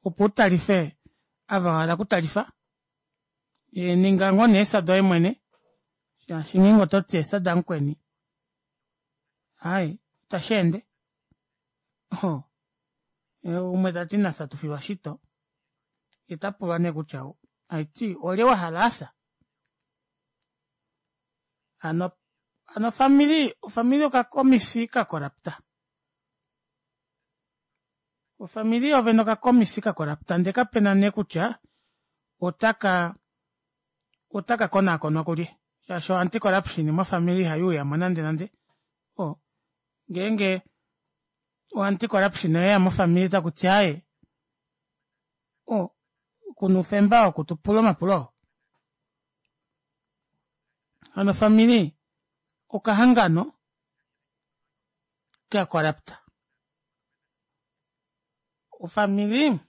opo utalife ava wahala okutalifa ninga ngoo nee eesa doye mwene shaashi ngeenge ototi eesa damukweni aaye itashi ende umwe tati nafye atufilwa shito ye tapulwa nee kutya aiti olye wahala asa Hano hano ofamili ofamili okakomisi ka korapta. Ofamili yovene okakomisi ka korapta ndee kapena nee kutya otaka otaka konaakonwa kulye shaashi o anti corruption mofamili ihayi uyamo nande nande o ngeenge o anti corruption oyeya mofamili takuti aaye o kuna oufemba wokutupula omapulo oo. Hano ofamili okahangano ka corrupt. Ofamili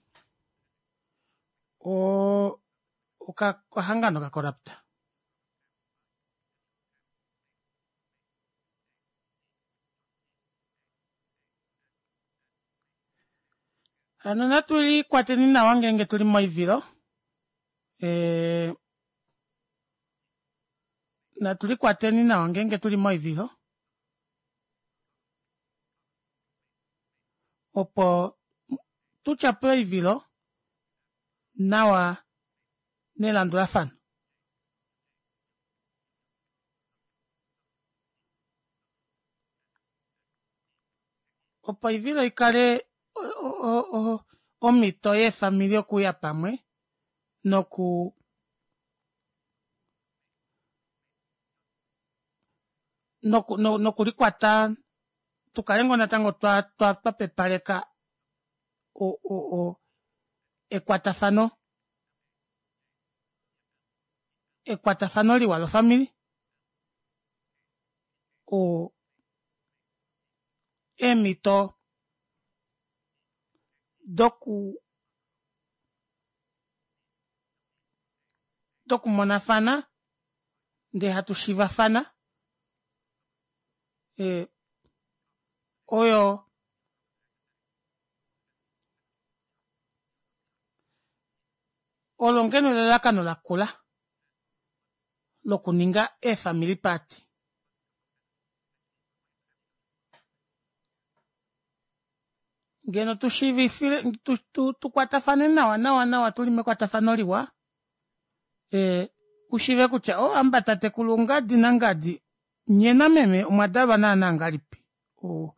o okahangano ka corrupt. Hano natu likwateni nawa ngeenge tuli moivilo. E, natu likwateni nawa ngeenge tuli moivilo opo tu tyapule oivilo nawa nelandulafano. Opo oivilo ikale omhito yeefamili okuuya pamwe noku nokulikwata tukale ngoo natango twa twa pepaleka ekwatafano ekwatafano liwa lofamili eemhito doku. dokumonafana ndee hatu shiivafana e, oyo olo ngeno elalakano lakula lokuninga eefamily party. Ngeno tu shiivifile tu, tu, tu kwatafane nawa nawa nawa tuli mekwatafano liwa e, u shiive kutya o oh, amba tatekulu ngadi nangadi nye nameme omwa dalwa naana ngalipi o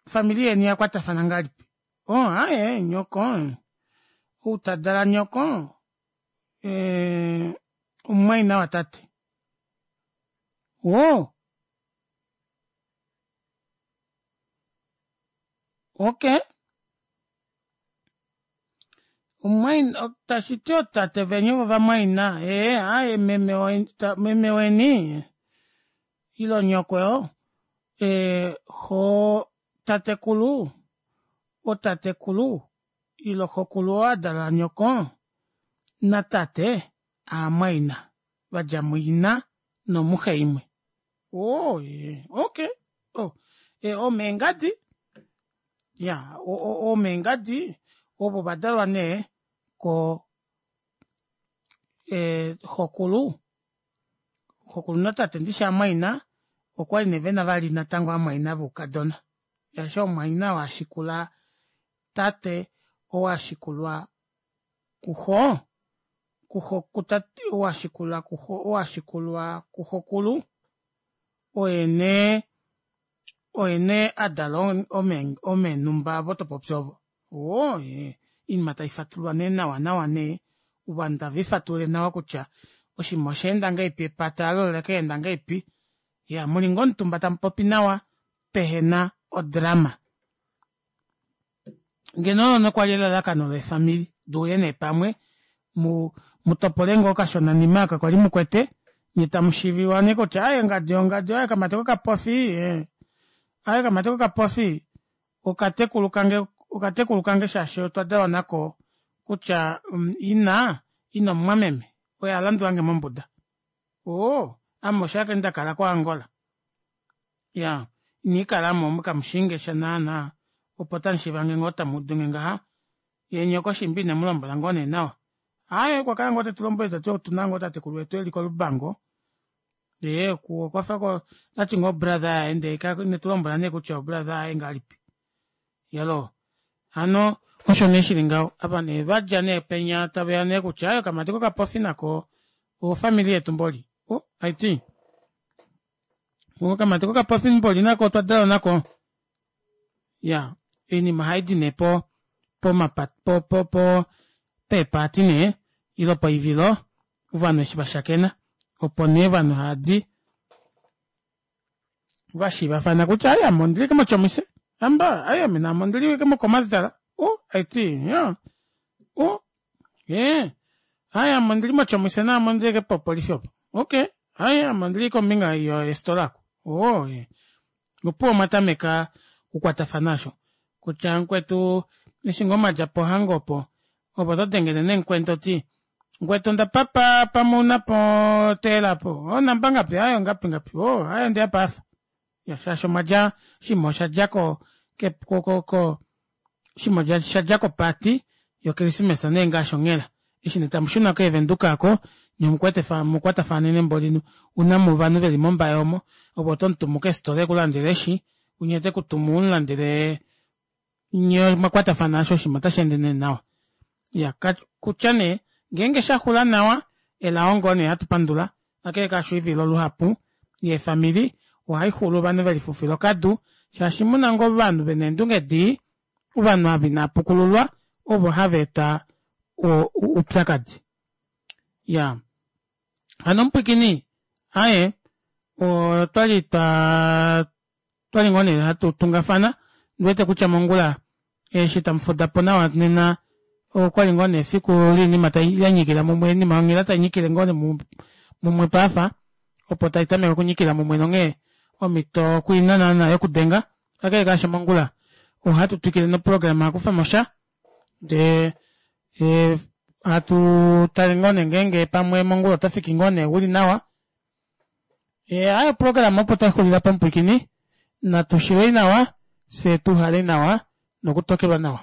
famili yeni ya kwatafana ngalipi o oh, aye nyoko ou ta dala nyoko e, omumwaina watate o Okay. Omumwaina tashi ti ootate veni ovo vamwaina ee aye meme weni ta, meme weni ilo nyoko yo ee xo tatekulu otatekulu ilo xokulu oo a dala nyoko natate aamwaina va dja muina nomuxe imwe. Oh, yeah. Okay. Oh, eh, omeengadi. Ya, omeengadi ovo va dalwa nee ko eh, xokulu. Xokulu natate ndishi amwaina okwali nee vena vali natango amwaina voukadona. Shaashi omwaina oo a shikula tate oo a shikulwa kuxo, kuxo kutate oo a shikula kuxo oo a shikulwa kuxokulu oye nee oye nee a dala omeenhumba ovo to popi ovo. Oo ee oinima tai fatululwa nee nawa nawa nee ovanhu tave i fatulule nawa kutya oshinima osha enda ngahelipi epata alo ola ka enda ngahelipi. Ya muli ngoo omutumba tamu popi nawa pehena odrama. Ngeno olo nokwali elalakano leefamili duuye nee pamwe mu mu topole ngoo okashonanima aka kwali mukwete nye tamu shiiviwa nee kutya aye ngadi ongadi aye okamati kokapofi eh aye okamati kokapofi okatekulu kange okatekulu kange shaashi otwa dalwa nako kutya mm, ina ina omumwameme oye a landulange mombuda oo ame osho ashike nda kala koAngola Ya, inii kala mo kamu shii nge sha naana, opo tamu shiiva nge ngoo tamu udu nge ngaha. Ye nyoko shimba ine mu lombwela ngoo nee nawa. Aaye, okwa kala ngoo te tu lombwele ta ti otu na ngoo tatekulu wetu e li kOlubango. Ee, oku okwa fa ko, ota ti ngoo brother yaye ndee ka ine tu lombwela nee kutya obrother yaye ngahelipi. Iyaloo. Hano osho nee shi li ngaho. Ava nee va dja nee penya tave ya nee kutya aaye okamati kokapofi nako ofamili yetu mboli. O, aiti. Okamati kokapofi mboli nako otwa dalwa nako. Ya, oinima ohai di nee po pomapa po po po peepaati nee ile poivilo ovanhu eshi va shakena opo nee ovanhu hava di va shiivafana kutya ai ame ondili ke mochomise amba ai ame naame ondili ke mokomasdal o aiti ya o ee ai ame ondili mochomise naame ondili ke popolifi opo okay Ai ame ondili kombinga yestola aku. Oo, eh. Opuwo omwa tameka okukwatafana osho. Kutya mukwetu eshi ngoo mwa dja pohango opo, opo to dengele nee mukweni to ti, mukwetu onda papa pamwe una po teela po. O namba ngapi? Ai ongapi ngapi? O, ai ondeya paafa. Ya, shaashi omwa dja, oshinima osha dja ko, ke, ko, ko, ko, oshinima osha sha dja kopaati yokrismesa nee ngaashi onghela. Eshi nee tamu shuna keevenduka oko, nye omukwete fa, mukwatafanene mboli una mu ovanhu veli mOmbaye omo, ove oto mu tumu keesitola eku landele eshi, unye ote ku tumu u mu landele, nye omwa kwatafana asho oshinima otashi ende nee nawa. Ya, ka, kutya nee, ngeenge sha xula nawa, elao ngoo nee hatu pandula, Kakele kaasho oivilo luhapu yeefamili ohai xulu ovanhu ve lifufila okadu shaashi mu na ngoo ovanhu ve na eendunge dii, ovanhu ava inava pukululwa ovo hava eta oupyakadi. Ya hano omupwikini aye otwali twa Otwali ngoo nee hatu tungafana, ndi wete kutya mongula eshi tamu fuda po nawa nena okwali ngoo nee efiku liinima tai ya nyikila mumwe, oinima yonghela tai nyikile ngoo nee mumwe paafa, opo tai tameke okunyikila mumwe nonghee omhito okuina naana yokudenga. Kakele kaasho mongula ohatu twikile noprograma ya kufa mo sha ndee. Hatu tale ngoo nee ngeenge pamwe mongula oto fiki ngoo nee uli nawa. E, ayo oprograma opo tai xulila pomupwilikini. Natu shilei nawa, fye tu hale nawa nokutokelwa nawa.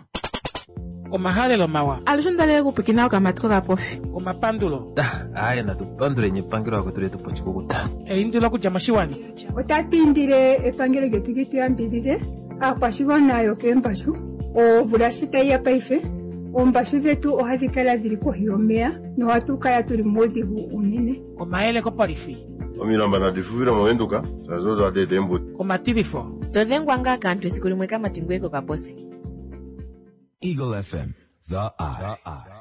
Omahalelo mawa. Alushe ondalele okupwikina okamati kokapofi. Omapandulo. Aaye natu panduleni epangelo lakwetu letu poshikukuta. Eindilo okudja moshiwana. Otatu indile epangelo lyetu li tu yambidhidhe aakwashigwana yokeembashu. Omvula shi tayi ya paife, oombashu dhetu ohadhi kala dhili kohi yomeya nohatu kala tuli muudhigu uunene. Omayele kopolifi. Omilamba nadi fufile mOvenduka, shaashi odo hadi eta eembudi. Omatilifo. To dhengwa ngaa kaantu esiku limwe kamati ngoye kokaposi. Eagle FM, the eye.